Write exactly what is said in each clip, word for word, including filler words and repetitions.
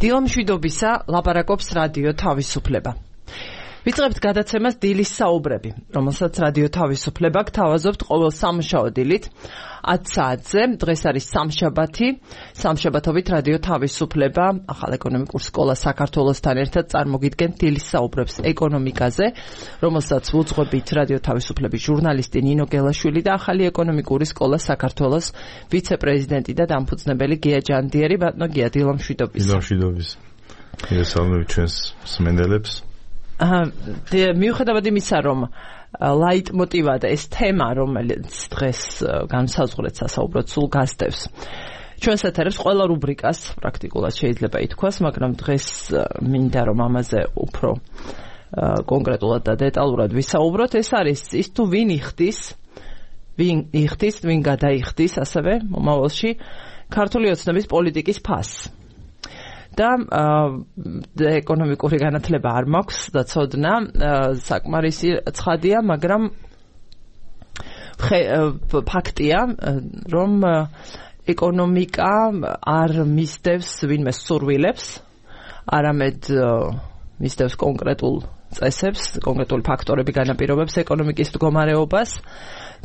დილამშვიდობისა ლაპარაკობს რადიო თავისუფლება. ვიწყებთ გადაცემას დილის საუბრები, რომელსაც რადიო თავისუფლება გთავაზობთ ყოველ სამშაბათ დილით ათ საათზე. დღეს არის სამშაბათი, სამშაბათობით რადიო თავისუფლება ახალ ეკონომიკურ სკოლა საქართველოსთან ერთად წარმოგიდგენთ დილის საუბრებს ეკონომიკაზე, რომელსაც ვუძღვებით რადიო თავისუფლების ჟურნალისტი ნინო გელაშვილი და ახალი ეკონომიკური სკოლა საქართველოს ვიცე-პრეზიდენტი და დამფუძნებელი გია ჯანდიერი. ბატონო გია, დილამშვიდობის. დილამშვიდობის. მოგესალმებით ჩვენს მსმენელებს. მიუხედავად იმისა, რომ ლაიტმოტივად ეს თემა, რომელიც დღეს განსაზღვრეთ სასაუბროდ სულ გასდევს ჩვენს ეთერებს ყველა რუბრიკას პრაქტიკულად შეიძლება ითქვას, მაგრამ დღეს მინდა რომ ამაზე უფრო კონკრეტულად და დეტალურად ვისაუბროთ. ეს არის ის თუ ვინ იხდის, ვინ იხდის, ვინ გადაიხდის ასევე მომავალში ქართული ოცნების პოლიტიკის ფასს. და ეკონომიკური განათლება არ მაქვს და ცოდნა საკმარისი ცხადია, მაგრამ ფაქტია, რომ ეკონომიკა არ მისდევს ვინმე სურვილებს, არამედ მისდევს კონკრეტულ წესებს, კონკრეტული ფაქტორები განაპირობებს ეკონომიკის მდგომარეობას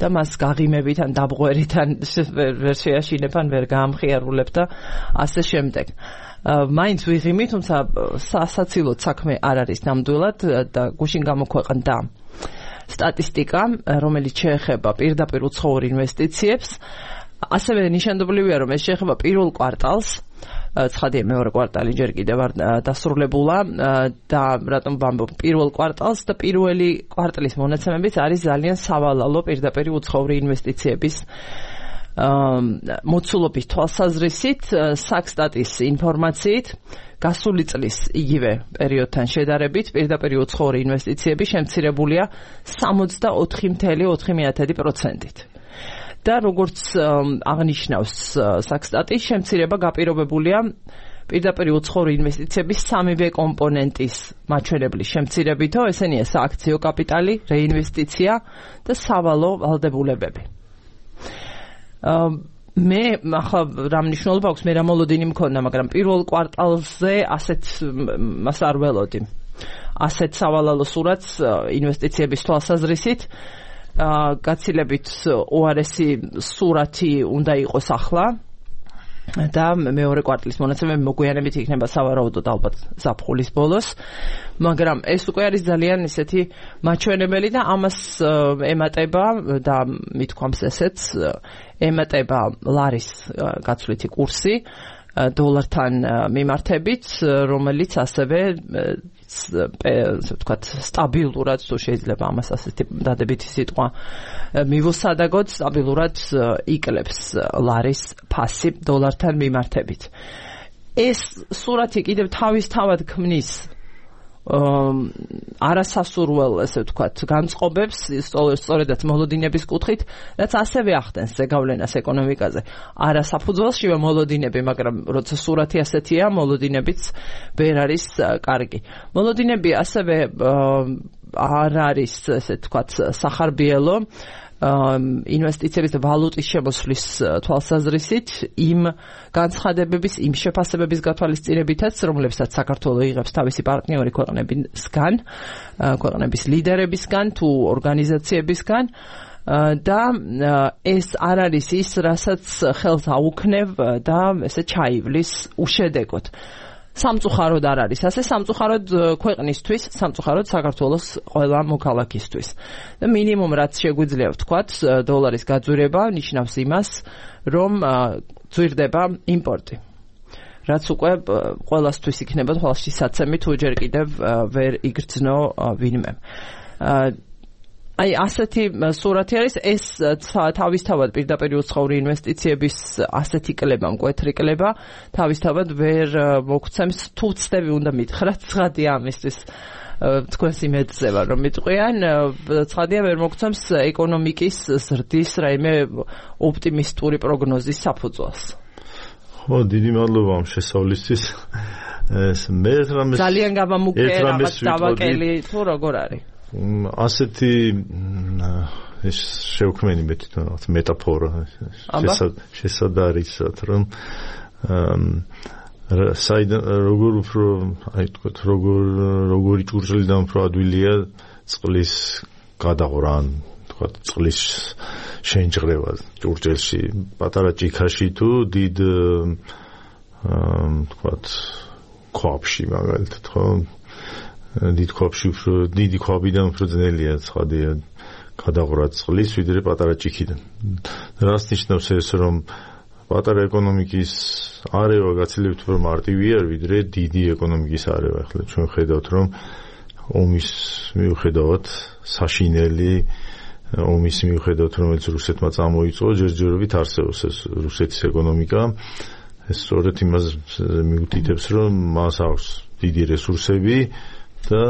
და მას გაღიმებით ან დაბღვერით ან ვერ შეაშინებ ან ვერ გაამხიარულებ და ასე შემდეგ. მაინც ვიღიმი, თუმცა სასაცილოდ საქმე არ არის ნამდვილად და გუშინ გამოქვეყნდა სტატისტიკა, რომელიც შეეხება პირდაპირ უცხოურ ინვესტიციებს. ასევე ნიშანდობლივია, რომ ეს შეეხება პირველ კვარტალს, ცხადია მეორე კვარტალი ჯერ კიდევ არ დასრულებულა და რატომ ვამბობ პირველ კვარტალს და პირველი კვარტლის მონაცემებიც არის ძალიან სავალალო პირდაპირ უცხოური ინვესტიციების მოცულობის თვალსაზრისით. საქსტატის ინფორმაციით გასული წლის იგივე პერიოდთან შედარებით პირდაპირ უცხოური ინვესტიციები შემცირებულია სამოცდაოთხი წამსვე ოთხი პროცენტით. და როგორც აღნიშნავს საქსტატი, შემცირება გაპირობებულია პირდაპირ უცხოური ინვესტიციების სამივე კომპონენტის მაჩვენებლის შემცირებითო, ესენია სააქციო კაპიტალი, რეინვესტიცია და სავალო ვალდებულებები. მე ახლა რა მნიშვნელობა აქვს, მე რა მოლოდინი მქონდა, მაგრამ პირველ კვარტალზე ასეთ მას არ ველოდი. ასეთ სავალალო სურათს ინვესტიციების თვალსაზრისით გაცილებით უარესი სურათი უნდა იყოს ახლა და მეორე კვარტლის მონაცემები მოგვიანებით იქნება სავარაუდოდ ალბათ ზაფხულის ბოლოს, მაგრამ ეს უკვე არის ძალიან ისეთი მაჩვენებელი და ამას ემატება და მithქვამს ესეც ემატება ლარის გაცვლითი კურსი დოლართან მიმართებით, რომელიც ასევე ასე ვთქვათ სტაბილურად, თუ შეიძლება ამას ასეთი დადებითი სიტყვა მივუსადაგოთ, სტაბილურად იკლებს ლარის ფასი დოლართან მიმართებით. ეს სურათი კიდევ თავისთავად ქმნის არასასურველ, ასე ვთქვათ, განწყობებს, სწორედაც მოლოდინების კუთხით, რაც ასევე ახდენს ზეგავლენას ეკონომიკაზე. არასაფუძველშივე მოლოდინები, მაგრამ როცა სურათი ასეთია, მოლოდინებიც ვერ არის კარგი. მოლოდინები ასევე არ არის, ასე ვთქვათ, სახარბიელო ინვესტიციების და ვალუტის შემოსვლის თვალსაზრისით იმ განცხადებების, იმ შეფასებების გათვალისწინებითაც, რომლებსაც საქართველო იღებს თავისი პარტნიორი ქვეყნებისგან, ქვეყნების ლიდერებისგან თუ ორგანიზაციებისგან და ეს არ არის ის, რასაც ხელს აუქნევ და ესე ჩაივლის უშედეგოდ. სამწუხაროდ არ არის ასე, სამწუხაროდ ქვეყნისთვის, სამწუხაროდ საქართველოს ყველა მოქალაქისთვის. და მინიმუმ რაც შეგვიძლია ვთქვათ, დოლარის გაძვირება ნიშნავს იმას, რომ ძვირდება იმპორტი. რაც უკვე ყველასთვის იქნება თვალში საცემი, თუ ჯერ კიდევ ვერ იგრძნო ვინმე. აი ასეთი სურათი არის, ეს თავისთავად პირდაპირ უცხოური ინვესტიციების ასეთი კლება, მკვეთრი კლება თავისთავად ვერ მოგცემს, თუ ვცდები უნდა მითხრათ, ცხადია ამისთვის თქვენს იმედზე ვარ, რომ მიტყვიან, ცხადია ვერ მოგცემს ეკონომიკის ზრდის რაიმე ოპტიმისტური პროგნოზის საფუძველს. ხო, დიდი მადლობა ამ შესავლისთვის. ეს მე რამეს ძალიან გამამუქე რაღაც დავაკელი თუ როგორ არის? ასეთი ეს შევქმენი მე თვითონ მეტაფორა შესაძარისად, რომ საიდან როგორ უფრო აი თქვა როგორ როგორი ჭურჭლიდან უფრო ადვილია წყლის გადაღვრა ან თქვა წყლის შენჭრევა ჭურჭელში პატარა ჭიქაში თუ დიდ თქვა ქვაბში მაგალითად ხო დიდ ქვაბში უფრო დიდი ქვაბიდან უფრო ძნელია ცხადია გადაღვრა წყლის ვიდრე პატარა ჭიქიდან რას ნიშნავს ეს რომ პატარა ეკონომიკის არევა გაცილებით უფრო მარტივია ვიდრე დიდი ეკონომიკის არევა ახლა ჩვენ ხედავთ რომ ომის მიუხედავად საშინელი ომის მიუხედავად რომელიც რუსეთმა წამოიწყო ჯერჯერობით არსებობს ეს რუსეთის ეკონომიკა ეს სწორედ იმას მიუთითებს რომ მას აქვს დიდი რესურსები და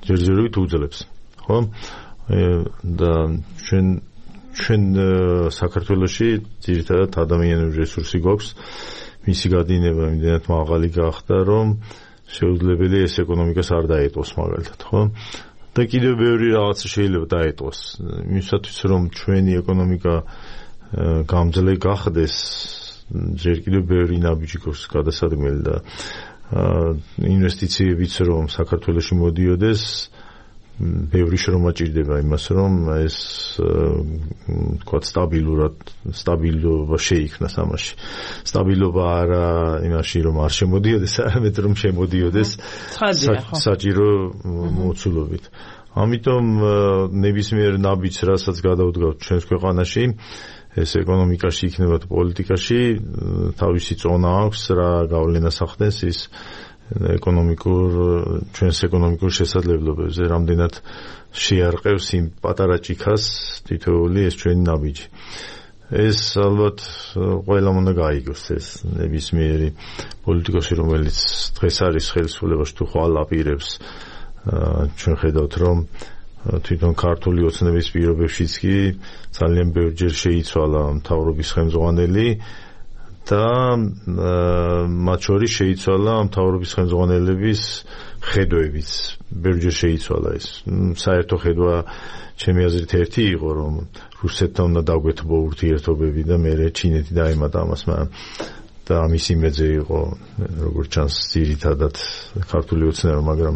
ჯერჯერობით უძლებს ხო და ჩვენ ჩვენ საქართველოში ძირითადად ადამიანური რესურსი გვაქვს მისი გადინება იმდენად მაღალი გახდა რომ შეუძლებელია ეს ეკონომიკას არ დაეტყოს მაგალითად ხო და კიდევ ბევრი რაღაცა შეიძლება დაეტყოს იმისათვის რომ ჩვენი ეკონომიკა გამძლე გახდეს ჯერ კიდევ ბევრი ნაბიჯი გვაქვს გადასადგმელი და ინვესტიციებიც რომ საქართველოში მოდიოდეს ბევრი შრომა ჭირდება იმას რომ ეს თქვა სტაბილურად სტაბილობა შეიქმნას ამაში სტაბილობა არა იმაში რომ არ შემოდიოდეს არამედ რომ შემოდიოდეს საჭირო მოცულობით ამიტომ ნებისმიერ ნაბიჯს რასაც გადავდგავთ ჩვენს ქვეყანაში ეს ეკონომიკაში იქნება თუ პოლიტიკაში თავისი წონა აქვს რა გავლენას ახდენს ის ეკონომიკურ ჩვენს ეკონომიკურ შესაძლებლობებზე რამდენად შეარყევს იმ პატარა ჭიქას თითოეული ეს ჩვენი ნაბიჯი ეს ალბათ ყველამ უნდა გაიგოს ეს ნებისმიერი პოლიტიკოსი რომელიც დღეს არის ხელისუფლებაში თუ ხვალ აპირებს ჩვენ ხედავთ რომ თვითონ ქართული ოცნების პირობებშიც კი ძალიან ბევრჯერ შეიცვალა მთავრობის ხელმძღვანელი და მათ შორის შეიცვალა მთავრობის ხელმძღვანელების ხედვებიც ბევრჯერ შეიცვალა ეს საერთო ხედვა ჩემი აზრით ერთი იყო რომ რუსეთთან უნდა დაგვეთბო ურთიერთობები და მე ჩინეთი დაემატა ამას მაგრამ და ამის იმედზე იყო როგორც ჩანს ძირითადად ქართული ოცნება მაგრამ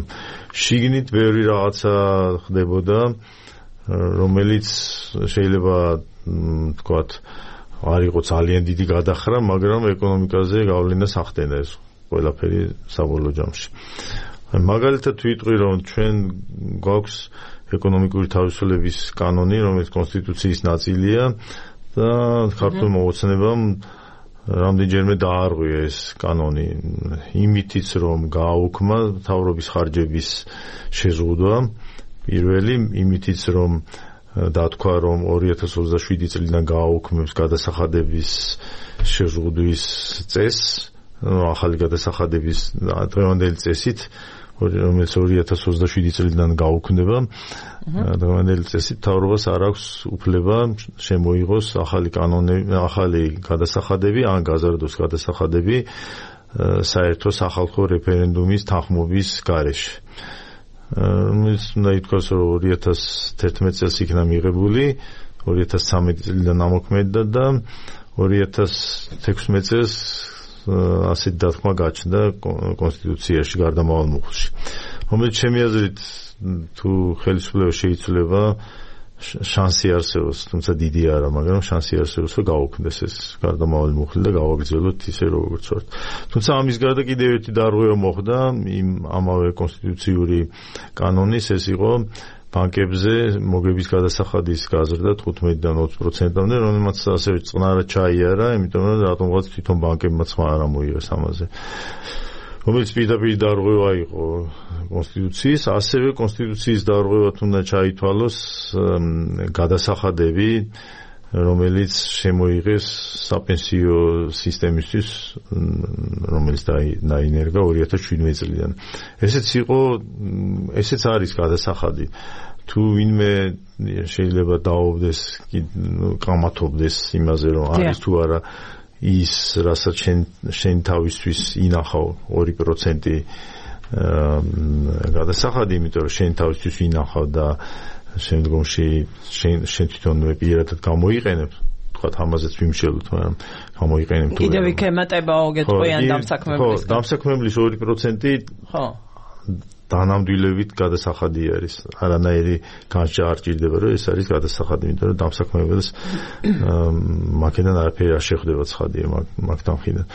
შიგნით ბევრი რაღაცა ხდებოდა რომელიც შეიძლება ვთქვათ არ იყო ძალიან დიდი გადახრა, მაგრამ ეკონომიკაზე გავლენას ახდენდა ეს ყველაფერი საბოლოო ჯამში. მაგალითად ვიტყვი რომ ჩვენ გვაქვს ეკონომიკური თავისუფლების კანონი, რომელიც კონსტიტუციის ნაწილია და ქართულმა ოცნებამ რამდენჯერმე დაარღვია ეს კანონი იმითიც რომ გააუქმა მთავრობის ხარჯების შეზღუდვა პირველი იმითიც რომ დათქვა რომ ორი ათას ოცდაშვიდი წლიდან გააუქმებს გადასახადების შეზღუდვის წესს, ახალი გადასახადების დღევანდელი წესით, რომელიც ორი ათას ოცდაშვიდი წლიდან გააუქმდება, დღევანდელი წესით მთავრობას არ აქვს უფლება შემოიღოს ახალი კანონები, ახალი გადასახადები, ან გაზარდოს გადასახადები საერთო სახალხო რეფერენდუმის თანხმობის გარეშე. რომელიც უნდა ითქვას რომ ორი ათას თერთმეტ წელს იქნა მიღებული, ორი ათას ცხრამეტი წლიდან ამოქმედდა და ორი ათას თექვსმეტ წელს ასეთ დათქმა გაჩნდა კონსტიტუციაში გარდამავალ მუხლში. რომელიც ჩემი აზრით თუ ხელისუფლება შეიცვლება შანსი არსებობს, თუმცა დიდი არა, მაგრამ შანსი არსებობს რომ გაუქმდეს ეს გარდამავალი მუხლი და გავაგრძელოთ ისე როგორც ვართ. თუმცა ამის გარდა კიდევ ერთი დარღვევა მოხდა იმ ამავე კონსტიტუციური კანონის, ეს იყო ბანკებზე მოგების გადასახადის გაზრდა თხუთმეტიდან ოცი პროცენტამდე, რომელმაც ასევე წყნარად ჩაიარა, იმიტომ რომ რატომღაც თვითონ ბანკებმა სხვა არ ამოიღეს ამაზე. რომელიც პირდაპირ დარღვევა იყო კონსტიტუციის, ასევე კონსტიტუციის დარღვევად უნდა ჩაითვალოს გადასახადები, რომელიც შემოიღეს საპენსიო სისტემისთვის, რომელიც დაინერგა ორი ათას შვიდმეტი წლიდან. ესეც იყო, ესეც არის გადასახადი. თუ ვინმე შეიძლება დაობდეს, კამათობდეს იმაზე, რომ არის თუ არა ის რასაც შენ შენ თავისთვის ინახავ ორი პროცენტი გადასახადი, იმიტომ რომ შენ თავისთვის ინახავ და შემდგომში შენ შენ თვითონვე პირადად გამოიყენებ, თქვათ ამაზეც ვიმშელოთ, მაგრამ გამოიყენებ თუ კიდევ იქ ემატებაო გეტყვიან დამსაქმებლის. ხო, დამსაქმებლის ორი პროცენტი ხო დანამდვილებით გადასახადი არის. არანაირი განსჯა არ ჭირდება, რომ ეს არის გადასახადი, იმიტომ რომ დამსაქმებელს მაგიდან არაფერი არ შეხვდება ცხადია მაგთან მხრიდან.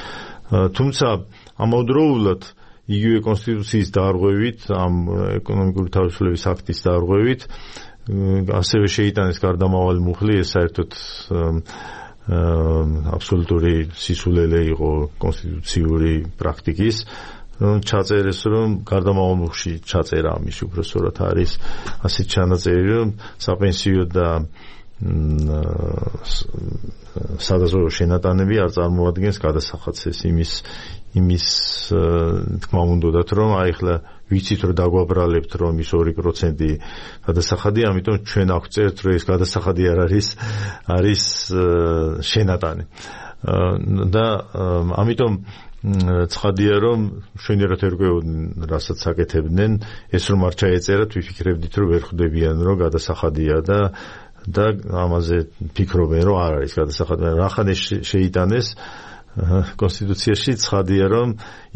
თუმცა ამავდროულად იგივე კონსტიტუციის დარღვევით, ამ ეკონომიკური თავისუფლების აქტის დარღვევით, ასევე შეიტანეს გარდამავალი მუხლი, ეს საერთოდ აბსოლუტური სისულელე იყო კონსტიტუციური პრაქტიკის, რომ ჩაწერეს, რომ გარდამავალ მუხლში ჩაწერა ამის უბრალოდ არის ასეთ ჩანაწერი, რომ საპენსიო და სადაზვერვო შენატანები არ წარმოადგენს გადასახადს. ეს იმის იმის თქმა უნდათ, რომ აი ახლა ვიცით, რომ დაგვაბრალებთ, რომ ის ორი პროცენტი გადასახადი, ამიტომ ჩვენ აქვს წერთ, რომ ეს გადასახადი არ არის, არის შენატანი. და ამიტომ ცხადია, რომ შვენიერად ერკვეოდნენ, რასაც აკეთებდნენ, ეს რომ არ ჩაეწერათ, ვიფიქრებდით, რომ ვერ ხვდებიან, რომ გადასახადია და და ამაზე ფიქრობენ, რომ არ არის გადასახადი. რახან ეს შეიტანეს კონსტიტუციაში, ცხადია, რომ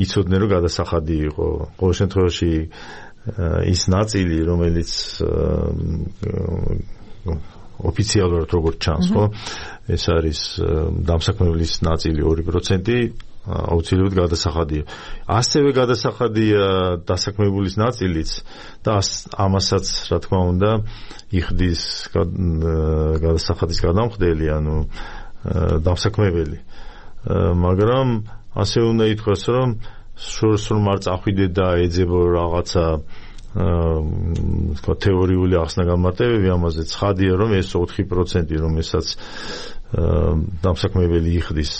იცოდნენ, რომ გადასახადი იყო. ყოველ შემთხვევაში ის ნაწილი, რომელიც ოფიციალურად როგორც ჩანს, ხო? ეს არის დამსაქმებლის ნაწილი ორი პროცენტი, აუცილებლად გადასახადია. ასევე გადასახადია დასაქმებულის ნაწილიც და ამასაც, რა თქმა უნდა, იხდის გადასახადის გადამხდელი, ანუ დამსაქმებელი. მაგრამ ასე უნდა ითქვას, რომ სრულ არ წახვიდე და ეძებო რაღაცა თქვა თეორიული ახსნა-განმარტებები ამაზე. ცხადია, რომ ეს ოთხი პროცენტი, რომელსაც დამსაქმებელი იხდის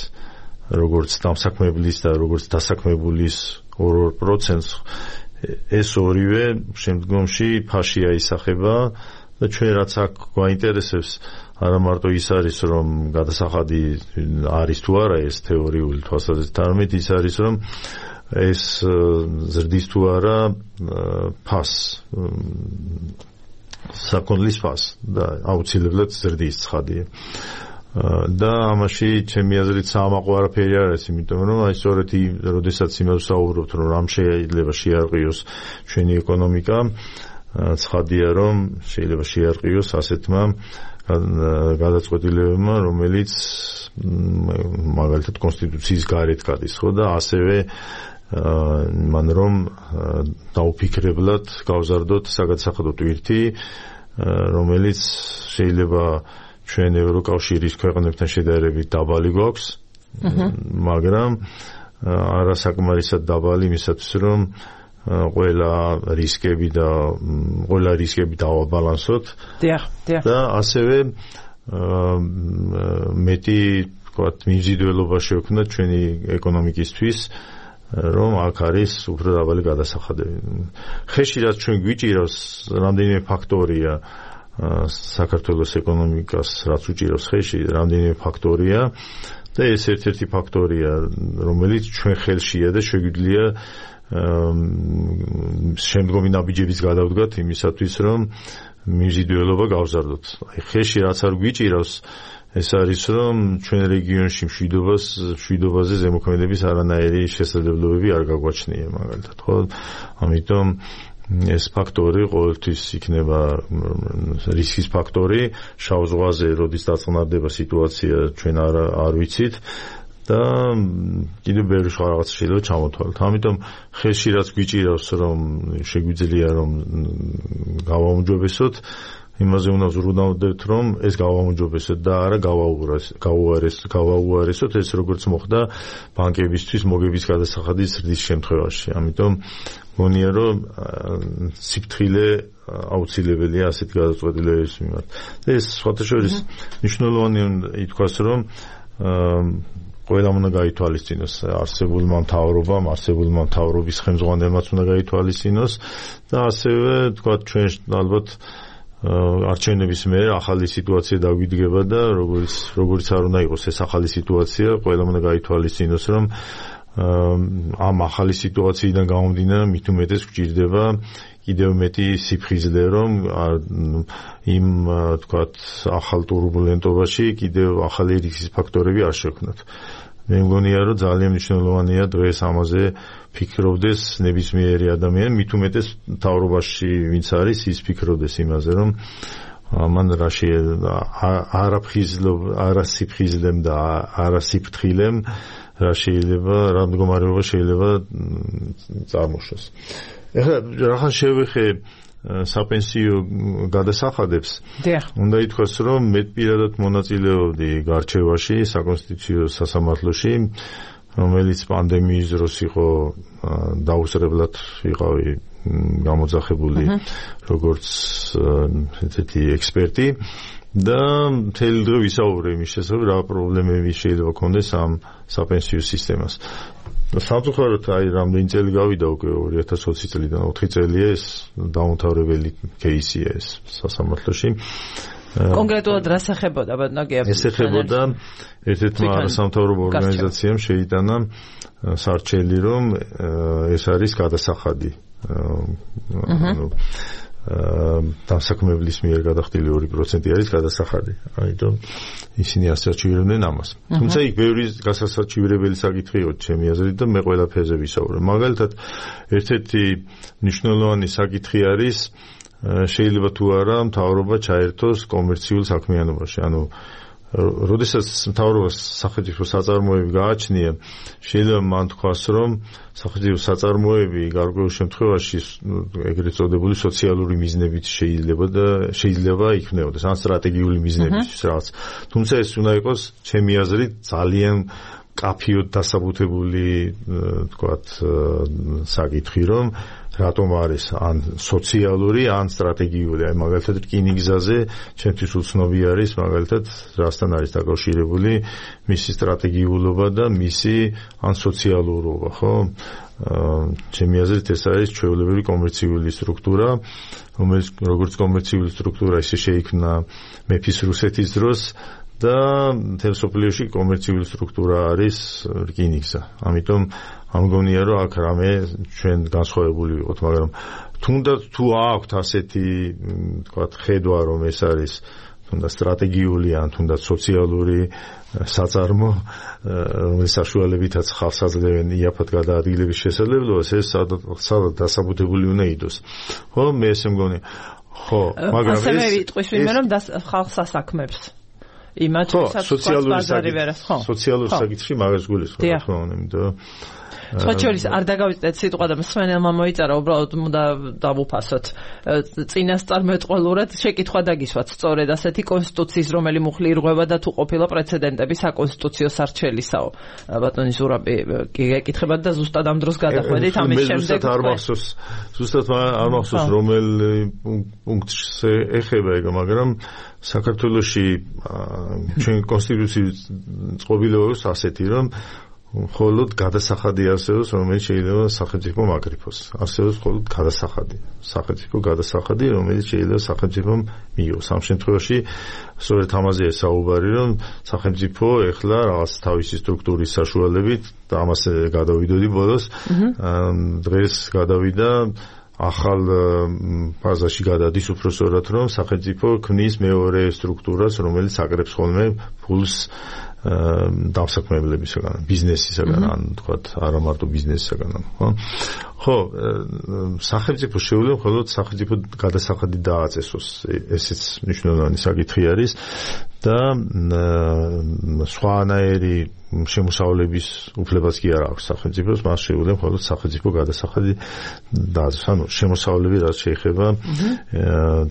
როგორც დამსაქმებლის და როგორც დასაქმებულის ორ პროცენტს, ეს ორივე შემდგომში ფაში აისახება და ჩვენ რაც აქ გვაინტერესებს, არა მარტო ის არის, რომ გადასახადი არის თუ არა ეს თეორიული თვალსაზრისით, არამედ ის არის, რომ ეს ზრდის თუ არა ფას, საკონლის ფას და აუცილებლად ზრდის ცხადია. და ამაში ჩემი აზრით საამაყო არაფერი არ არის, იმიტომ რომ აი სწორედ როდესაც იმას საუბრობთ, რომ რამ შეიძლება შეარყიოს ჩვენი ეკონომიკა, ცხადია, რომ შეიძლება შეარყიოს ასეთმა გადაწყვეტილებებმა, რომელიც მაგალითად კონსტიტუციის გარეთ გადის, ხო, და ასევე მან რომ დაუფიქრებლად გავზარდოთ საგადასახადო ტვირთი, რომელიც შეიძლება ჩვენ ევროკავშირის ქვეყნებთან შედარებით დაბალი გვაქვს, მაგრამ არასაკმარისად დაბალი იმისათვის, რომ ყველა რისკები და ყველა რისკები დავაბალანსოთ. დიახ, დიახ. და ასევე მეტი, ვთქვათ, მიმზიდველობა შევქმნათ ჩვენი ეკონომიკისთვის, რომ აქ არის უფრო დაბალი გადასახადები. ხეში რაც ჩვენ გვიჭირავს, რამდენიმე ფაქტორია საქართველოს ეკონომიკას, რაც უჭირავს ხეში, რამდენიმე ფაქტორია და ეს ერთ-ერთი ფაქტორია, რომელიც ჩვენ ხელშია და შეგვიძლია შემდგომი ნაბიჯების გადავდგათ იმისათვის, რომ მიმზიდველობა გავზარდოთ. აი ხეში რაც არ გვიჭირავს, ეს არის, რომ ჩვენ რეგიონში მშვიდობას, მშვიდობაზე ზემოქმედების არანაირი შესაძლებლობები არ გაგვაჩნია, მაგალითად, ხო? ამიტომ ეს ფაქტორი ყოველთვის იქნება რისკის ფაქტორი, შავ ზღვაზე როდის დაწყნარდება სიტუაცია, ჩვენ არ არ ვიცით და კიდევ ბევრი სხვა რაღაც შეიძლება ჩამოთვალოთ. ამიტომ ხელში რაც გვიჭირავს, რომ შეგვიძლია რომ გავაუმჯობესოთ, იმაზე უნდა ვზრუნავდეთ, რომ ეს გავაუმჯობესოთ და არა გავაუარესოთ, ეს როგორც მოხდა ბანკებისთვის მოგების გადასახადის ზრდის შემთხვევაში. ამიტომ მგონია, რომ სიფრთხილე აუცილებელია ასეთ გადაწყვეტილებების მიმართ. და ეს სხვათაშორის მნიშვნელოვანი ითქვას, რომ ყველამ უნდა გაითვალისწინოს, არსებულმა მთავრობამ, არსებულმა მთავრობის ხელმძღვანელმაც უნდა გაითვალისწინოს და ასევე თქვა ჩვენ ალბათ არჩევნების მერე ახალი სიტუაცია დაგვიდგება და როგორც როგორც არ უნდა იყოს ეს ახალი სიტუაცია, ყველამ უნდა გაითვალისწინოს, რომ ამ ახალი სიტუაციიდან გამომდინარე მით უმეტეს გვჭირდება კიდევ მეტი სიფხიზლე, რომ იმ თქვათ ახალ ტურბულენტობაში კიდევ ახალი რისკის ფაქტორები არ შექმნათ. მე მგონია, რომ ძალიან მნიშვნელოვანია დღეს ამაზე ფიქრობდეს ნებისმიერი ადამიანი, მით უმეტეს მთავრობაში ვინც არის, ის ფიქრობდეს იმაზე, რომ მან რა შეიძლება არასიფხიზლემ და არასიფრთხილემ რა შეიძლება, რა მდგომარეობა შეიძლება წარმოშოს. ეხლა რახან შევეხე საპენსიო გადასახადებს, უნდა ითქვას, რომ მე პირადად მონაწილეობდი გარჩევაში, საკონსტიტუციო სასამართლოში, რომელიც პანდემიის დროს იყო დაუსწრებლად ვიყავი გამოძახებული როგორც ესეთი ექსპერტი და მთელი დღე ვისაუბრე იმის შესახებ, რა პრობლემები შეიძლება ქონდეს ამ საპენსიო სისტემას. სამწუხაროდ აი რამდენი წელი გავიდა უკვე ორი ათას ოცი წლიდან ოთხი წელია ეს დაუმთავრებელი кейსია ეს სასამართლოში. კონკრეტულად რას ეხებოდა ბატონო? ეს ეხებოდა ერთ-ერთმა არასამთავრობო ორგანიზაციამ შეიტანა სარჩელი, რომ ეს არის გადასახადი. ანუ დამსაქმებლის მიერ გადახდილი ორი პროცენტი არის გადასახადი. ამიტომ ისინი ასაჩივრებდნენ ამას. თუმცა იქ ბევრი გასასაჩივრებელი საკითხი იყო ჩემი აზრით და მე ყველაფერზე ვისაუბრე. მაგალითად, ერთ-ერთი მნიშვნელოვანი საკითხი არის შეიძლება თუ არა მთავრობა ჩაერთოს კომერციულ საქმიანობაში. ანუ როდესაც მთავრობას სახელმწიფო საწარმოები გააჩნია, შეიძლება მან თქვას, რომ სახელმწიფო საწარმოები გარკვეულ შემთხვევაში ეგრეთ წოდებული სოციალური მიზნებით შეიძლება და შეიძლება იქნებოდეს, ან სტრატეგიული მიზნებით რაღაც. თუმცა ეს უნდა იყოს ჩემი აზრით ძალიან კაფიოდ დასაბუთებული, თქვათ, საკითხი, რომ რატომ არის ან სოციალური, ან სტრატეგიული. აი მაგალითად რკინიგზაზე ჩემთვის უცნობი არის მაგალითად რასთან არის დაკავშირებული მისი სტრატეგიულობა და მისი ან სოციალურობა, ხო? ჩემი აზრით ეს არის ჩვეულებრივი კომერციული სტრუქტურა, რომელიც როგორც კომერციული სტრუქტურა ისე შეიქმნა მეფის რუსეთის დროს და მთელ სოფლიოში კომერციული სტრუქტურა არის რკინიგზა. ამიტომ ამგონია, რომ აქ რამე ჩვენ განსხვავებული ვიყოთ, მაგრამ თუნდაც თუ აქვთ ასეთი, თქვათ, ხედვა, რომ ეს არის თუნდაც სტრატეგიული ან თუნდაც სოციალური საწარმო, რომლის საშუალებითაც ხალხს აძლევენ იაფად გადაადგილების შესაძლებლობას, ეს სადაც დასაბუთებული უნდა იყოს. ხო, მე ესე მგონია. ხო, მაგრამ ეს ასევე ვიტყვის ვინმე, რომ ხალხს ასაქმებს. იმათ სოციალური სოციალური საკითხი მაგას გულისხმობ, რა თქმა უნდა, იმიტომ სხვა შორის არ დაგავიწყდეთ სიტყვა და მსმენელმა მოიწერა, უბრალოდ უნდა დავუფასოთ. წინასწარმეტყველურად შეკითხვა დაგისვათ სწორედ ასეთი კონსტიტუციის, რომელი მუხლი ირღვევა და თუ ყოფილა პრეცედენტები საკონსტიტუციო სარჩელისაო. ბატონი ზურაბი კი გეკითხებათ და ზუსტად ამ დროს გადახვედით ამის შემდეგ. ზუსტად არ მახსოვს, ზუსტად არ მახსოვს რომელ პუნქტს ეხება ეგ, მაგრამ საქართველოში ჩვენ კონსტიტუციის წყობილებას ასეთი, რომ მხოლოდ გადასახადი არსებობს, რომელიც შეიძლება სახელმწიფო მაკრიფოს. არსებობს მხოლოდ გადასახადი, სახელმწიფო გადასახადი, რომელიც შეიძლება სახელმწიფომ მიიღოს. ამ შემთხვევაში სწორედ ამაზეა საუბარი, რომ სახელმწიფო ეხლა რაღაც თავისი სტრუქტურის საშუალებით და ამას გადავიდოდი ბოლოს, დღეს გადავიდა ახალ ფაზაში გადადის უпроსორად, რომ სახელმწიფო ქმნის მეორე სტრუქტურას, რომელიც აკრებს ხოლმე ფულს დამსაქმებლებისგან, ბიზნესისგან, ან თქვათ, არა მარტო ბიზნესისგან, ხო? ხო, სახელმწიფო შეუძლია მხოლოდ სახელმწიფო გადასახადი დააწესოს, ესეც მნიშვნელოვანი საკითხი არის და სხვანაირი შემოსავლების უფლებაც კი არ აქვს სახელმწიფოს, მას შეუძლია მხოლოდ სახელმწიფო გადასახადი დააწესოს. ანუ შემოსავლები რაც შეეხება,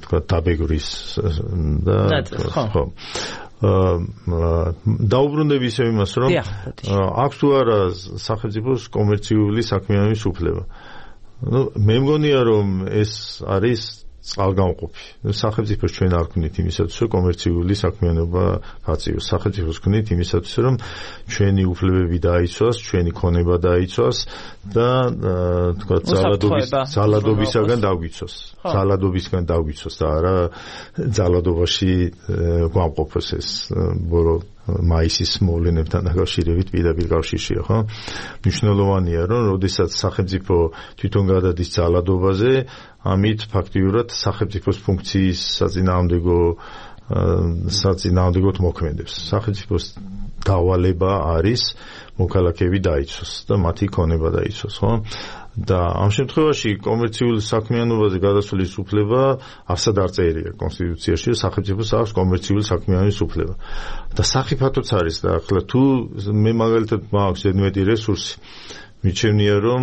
თქვათ, დაბეგრის და ხო. დაუბრუნდები ისე იმას, რომ აქვს თუ არა სახელმწიფოს კომერციული საქმიანობის უფლება. ნუ მე მგონია, რომ ეს არის წყალგამყოფი. სახელმწიფოს ჩვენ არ გვქნით იმისათვის, რომ კომერციული საქმიანობა გაწიოს. სახელმწიფოს გვქნით იმისათვის, რომ ჩვენი უფლებები დაიცვას, ჩვენი ქონება დაიცვას და თქვა ძალადობის ძალადობისაგან დაგვიცვას. ძალადობისგან დაგვიცვას და არა ძალადობაში გვამყოფოს ეს ბორო მაისის მოვლენებთან დაკავშირებით პირდაპირ კავშირშია, ხო? მნიშვნელოვანია, რომ როდესაც სახელმწიფო თვითონ გადადის ძალადობაზე, ამით ფაქტიურად სახელმწიფოს ფუნქციის საწინააღმდეგო საწინააღმდეგოდ მოქმედებს. სახელმწიფოს დავალება არის მოქალაქეები დაიცვას და მათი ქონება დაიცვას, ხო? და ამ შემთხვევაში კომერციულ საქმიანობაზე გადასვლის უფლება არსად არ წერია კონსტიტუციაში, რომ სახელმწიფოს აქვს კომერციული საქმიანობის უფლება. და სახიფათოც არის და ახლა თუ მე მაგალითად მაქვს ზედმეტი რესურსი, მიჩვენია რომ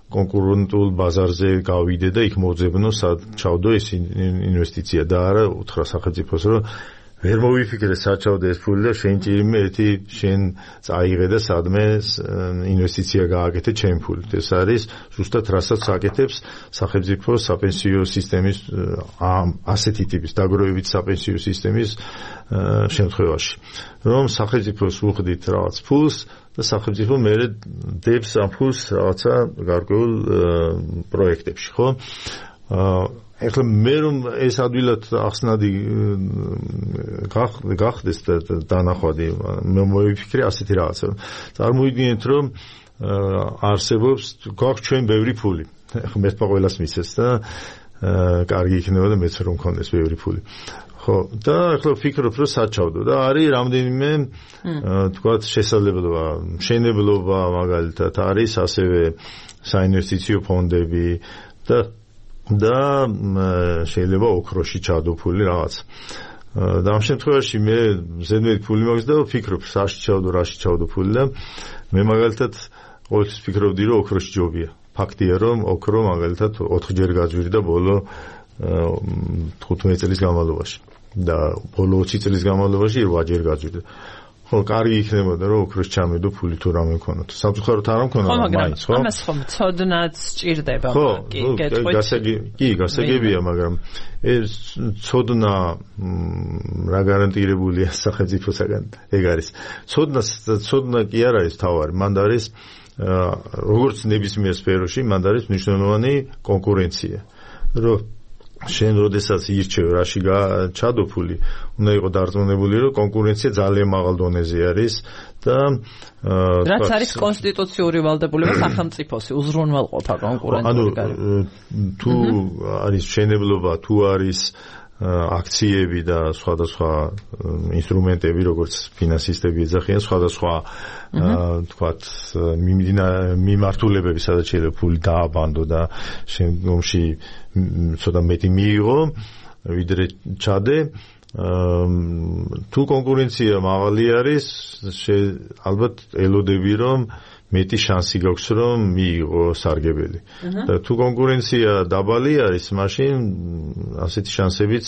კონკურენტულ ბაზარზე გავიდე და იქ მოძებნო სად ჩავდო ეს ინვესტიცია და არა უთხრა სახელმწიფოს რომ ვერ მოვიფიქრე საჩავდე ეს ფული და შენ ჭირიმე ერთი შენ წაიღე და სადმე ინვესტიცია გააკეთე ჩემ ფულით. ეს არის ზუსტად რასაც აკეთებს სახელმწიფო საპენსიო სისტემის ასეთი ტიპის დაგროვებით საპენსიო სისტემის შემთხვევაში. რომ სახელმწიფოს უხდით რაღაც ფულს და სახელმწიფო მერე დებს ამ ფულს რაღაცა გარკვეულ პროექტებში, ხო? ეხლა მე რომ ეს ადვილად ახსნადი გახდეს დანახვადი მე მოვიფიქრე ასეთი რაღაცა. წარმოვიდგინეთ რომ არსებობს გვაქვს ჩვენ ბევრი ფული. ეხლა მე თქვა ყველას მისცეს და კარგი იქნება და მეც რომ მქონდეს ბევრი ფული. ხო, და ახლა ვფიქრობ რომ საჩავდო და არის რამდენიმე თქვა შესაძლებლობა, მშენებლობა მაგალითად არის ასევე საინვესტიციო ფონდები და და შეიძლება ოქროში ჩადო ფული რაღაც. და ამ შემთხვევაში მე ზედმეტი ფული მაქვს და ვფიქრობ საში ჩავდო, რაში ჩავდო ფული და მე მაგალითად ყოველთვის ვფიქრობდი რომ ოქროში ჯობია. ფაქტია რომ ოქრო მაგალითად ოთხჯერ გაძვირდა ბოლო თხუთმეტი წლის განმავლობაში და ბოლო ოცი წლის განმავლობაში რვაჯერ გაძვირდა. ხო, კარგი იქნებოდა რომ ოქროს ჩამედო ფული თუ რამე მქონოდა. სამწუხაროდ არ მქონდა მაინც, ხო? ამას ხომ ცოდნაც სჭირდება, კი, გასაგები, კი, გასაგებია, მაგრამ ეს ცოდნა რა გარანტირებულია სახელმწიფოსაგან ეგ არის. ცოდნა ცოდნა კი არ არის თავარი, მანდ არის როგორც ნებისმიერ სფეროში, მანდ არის მნიშვნელოვანი კონკურენცია. რომ შენ როდესაც ირჩევ რაში ჩადო ფული, უნდა იყო დარწმუნებული რომ კონკურენცია ძალიან მაღალ დონეზე არის და რაც არის კონსტიტუციური ვალდებულება სახელმწიფოსი უზრუნველყოფა კონკურენტული გარემო. თუ არის მშენებლობა, თუ არის აქციები და სხვადასხვა ინსტრუმენტები, როგორც ფინანსისტები ეძახიან, სხვადასხვა თქვათ მიმართულებები, სადაც შეიძლება ფული დააბანდო და შემდგომში ცოტა მეტი მიიღო, ვიდრე ჩადე. თუ კონკურენცია მაღალი არის, ალბათ ელოდები რომ მეტი შანსი გაქვს რომ მიიღო სარგებელი. და თუ კონკურენცია დაბალი არის, მაშინ ასეთი შანსებიც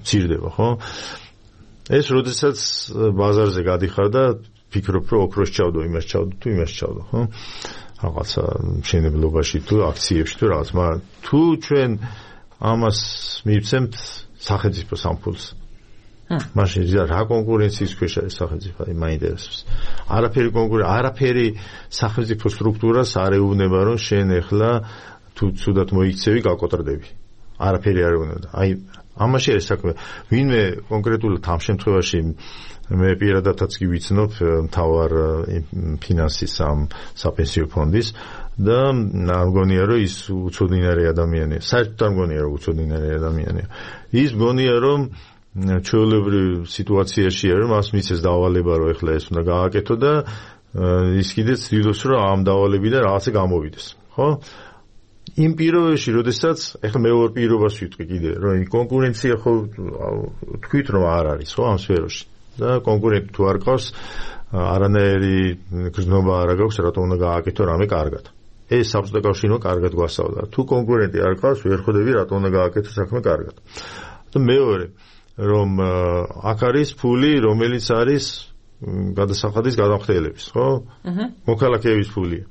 მცირდება, ხო? ეს როდესაც ბაზარზე გადიხარ და ფიქრობ რომ ოქროს ჩავდო, იმას ჩავდო, თუ იმას ჩავდო, ხო? რაღაცა მშენებლობაში თუ აქციებში თუ რაღაც, მაგრამ თუ ჩვენ ამას მივცემთ სახელმწიფოს ამ ფულს, მაშინ რა კონკურენციის ქვეშ არის სახელმწიფო, აი მაინტერესებს. არაფერი კონკურენცია, არაფერი სახელმწიფო სტრუქტურას არ ეუბნება რომ შენ ეხლა თუ ცუდად მოიქცევი, გაკოტრდები. არაფერი არ ეუბნება. აი ამაში არის საქმე. ვინმე კონკრეტულად ამ შემთხვევაში მე პირადადაც კი ვიცნობ მთავარ ფინანსის ამ საპენსიო ფონდის და მგონია რომ ის უცოდინარი ადამიანია. საერთოდ არ მგონია რომ უცოდინარი ადამიანია. ის მგონია რომ ჩვეულებრივ სიტუაციაშია რომ მას მისცეს დავალება რომ ეხლა ეს უნდა გააკეთო და ის კიდეც ცდილობს რომ ამ დავალებიდან რაღაცა გამოვიდეს, ხო? იმ პირობებში, როდესაც ეხლა მე ორ პირობას ვიტყვი კიდე, რომ კონკურენცია ხო თქვით რომ არ არის, ხო, ამ სფეროში. და კონკურენტი თუ არ ყავს, არანაირი გრძნობა არ აქვს, რატომ უნდა გააკეთო რამე კარგად. ეს საბჭოთა კავშირმა კარგად გვასწავლა. თუ კონკურენტი არ ყავს, ვერ ხვდები რატომ უნდა გააკეთო საქმე კარგად. და მეორე, რომ აქ არის ფული, რომელიც არის გადასახადის გადამხდელების, ხო? მოქალაქეების ფულია.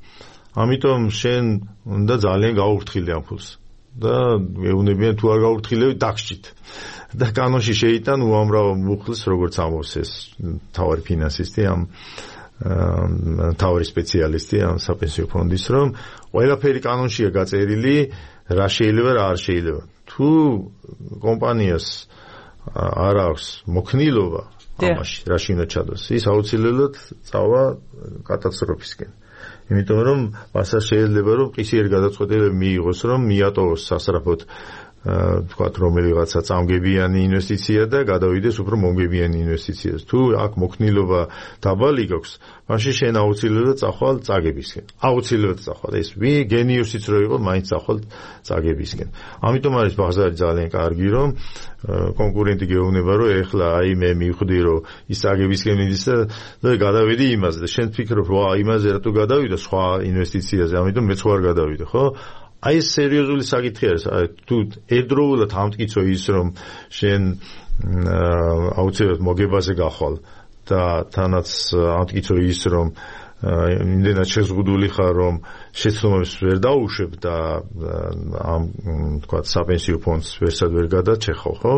ამიტომ შენ უნდა ძალიან გაუფრთხილდე ამ ფულს. და ეუბნებიან თუ არ გაურთხილებით დაგსჭით. და კანონში შეიტან უამრავ მუხლს, როგორც ამბობს ეს თავარი ფინანსისტი, ამ თავარი სპეციალისტი ამ საპენსიო ფონდის, რომ ყველაფერი კანონშია გაწერილი, რა შეიძლება, რა არ შეიძლება. თუ კომპანიას არ აქვს მოქნილობა ამაში, რაში უნდა ჩადოს, ის აუცილებლად წავა კატასტროფისკენ. იმიტომ რომ მასაც შეიძლება რომ ყისიერი გადაწყვეტილება მიიღოს, რომ მიატოვოს სასწრაფოდ თქვათ რომელიღაცა წამგებიანი ინვესტიცია და გადავიდეს უფრო მომგებიანი ინვესტიციას. თუ აქ მოქნილობა დაბალი გაქვს, მაშინ შენ აუცილებლად წახვალ წაგებისკენ. აუცილებლად წახვალ. ეს ვი გენიუსიც რო იყო, მაინც წახვალ წაგებისკენ. ამიტომ არის ბაზარი ძალიან კარგი, რომ კონკურენტი გეუბნება, რომ ეხლა აი მე მივხვდი, რომ ის წაგებისკენ მიდის და გადავედი იმაზე და შენ ფიქრობ, ვა იმაზე რატო გადავიდა სხვა ინვესტიციაზე, ამიტომ მეც ხარ გადავიდე, ხო? აი ეს სერიოზული საკითხი არის. თუ ერთდროულად ამტკიცო ის, რომ შენ აუცილებლად მოგებაზე გახვალ და თანაც ამტკიცო ის, რომ იმდენად შეზღუდული ხარ, რომ შეცდომებს ვერ დაუშვებ და ამ თქვათ საპენსიო ფონდს ვერსად ვერ გადაჩეხავ, ხო?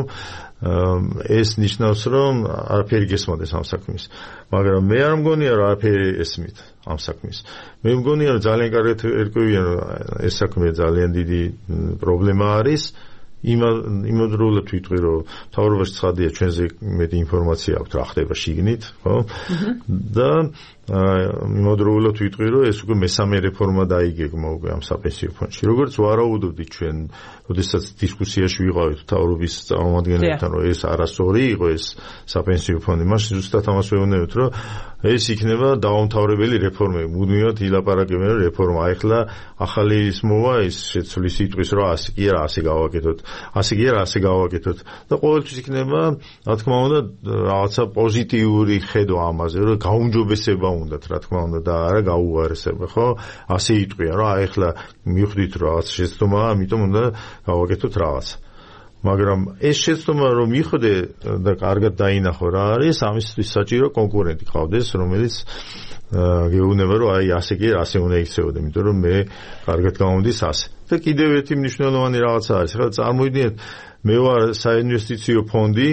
ეს ნიშნავს, რომ არაფერი გესმოდეს ამ საქმის. მაგრამ მე არ მგონია, რომ არაფერი ესმით ამ საქმის. მე მგონია, რომ ძალიან კარგად ერკვევიან, რომ ეს საქმე ძალიან დიდი პრობლემა არის. იმოდროულად ვიტყვი, რომ მთავრობაში ცხადია, ჩვენზე მეტი ინფორმაცია აქვს რა ხდება შიგნით, ხო? და იმოდროულად ვიტყვი, რომ ეს უკვე მესამე რეფორმა დაიგეგმა უკვე ამ საპენსიო ფონდში. როგორც ვარაუდობდით ჩვენ, როდესაც დისკუსიაში ვიყავით მთავრობის წარმომადგენლებთან, რომ ეს არასწორი იყო ეს საპენსიო ფონდი, მაშინ ზუსტად ამას ვეუბნებთ, რომ ეს იქნება დაუმთავრებელი რეფორმები. მუდმივად ილაპარაკებენ, რომ რეფორმა ახლა ახალი ის მოვა, ის შეცვლის სიტყვის, რომ ასე კი არა, ასე გავაკეთოთ, ასე კი არა, ასე გავაკეთოთ და ყოველთვის იქნება, რა თქმა უნდა, რაღაცა პოზიტიური ხედვა ამაზე, რომ გაუმჯობესება უნდათ, რა თქმა უნდა, და არა გაუარესება, ხო? ასე იტყვია, რომ აი ახლა მივხვდით, რომ რაღაც შეცდომაა, ამიტომ უნდა გავაკეთოთ რაღაც. მაგრამ ეს შეცდომა რომ მიხვდე და კარგად დაინახო რა არის, ამისთვის საჭირო კონკურენტი ყავდეს, რომელიც გეუბნება, რომ აი ასე კი ასე უნდა იქცეოდე, იმიტომ რომ მე კარგად გამომდის ასე. და კიდევ ერთი მნიშვნელოვანი რაღაცა არის. ახლა წარმოიდგინეთ, მე ვარ საინვესტიციო ფონდი,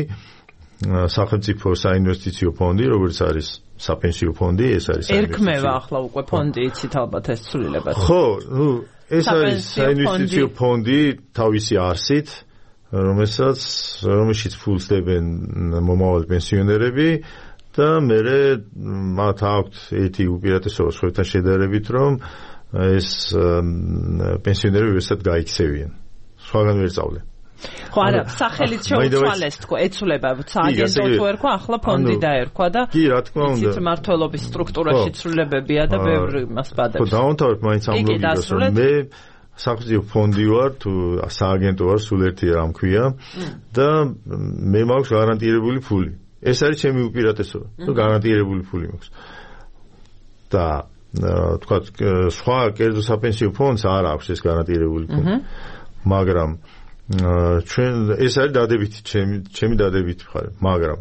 სახელმწიფო საინვესტიციო ფონდი, როგორც არის საპენსიო ფონდი, ეს არის ერქმევა ახლა უკვე ფონდი, იცით ალბათ ეს ცვლილება. ხო, ნუ ეს არის საინვესტიციო ფონდი თავისი არსით, რომელსაც რომელშიც ფულს დებენ მომავალი პენსიონერები და მერე მათ აქვთ ერთი უპირატესობა სხვებთან შედარებით, რომ ეს პენსიონერები ვერსად გაიქცევიან. სხვაგან ვერ წავლენ. ხო, არა, სახელით შეუცვალეს თქო, ეცვლება სააგენტო თუ ერქვა, ახლა ფონდი დაერქვა და კი, რა თქმა უნდა. იცით მმართველობის სტრუქტურაში ცვლილებებია და ბევრი მას ბადებს. ხო, დავამთავრებ მაინც ამ ლოგიკას, რომ მე სახელმწიფო ფონდი ვარ, თუ სააგენტო ვარ, სულ ერთი რამ ქვია და მე მაქვს გარანტირებული ფული. ეს არის ჩემი უპირატესობა, რომ გარანტირებული ფული მაქვს. და თქვა, სხვა კერძო საპენსიო ფონდს არ აქვს ეს გარანტირებული ფული. მაგრამ ჩვენ ეს არის დადებითი, ჩემი ჩემი დადებითი მხარე, მაგრამ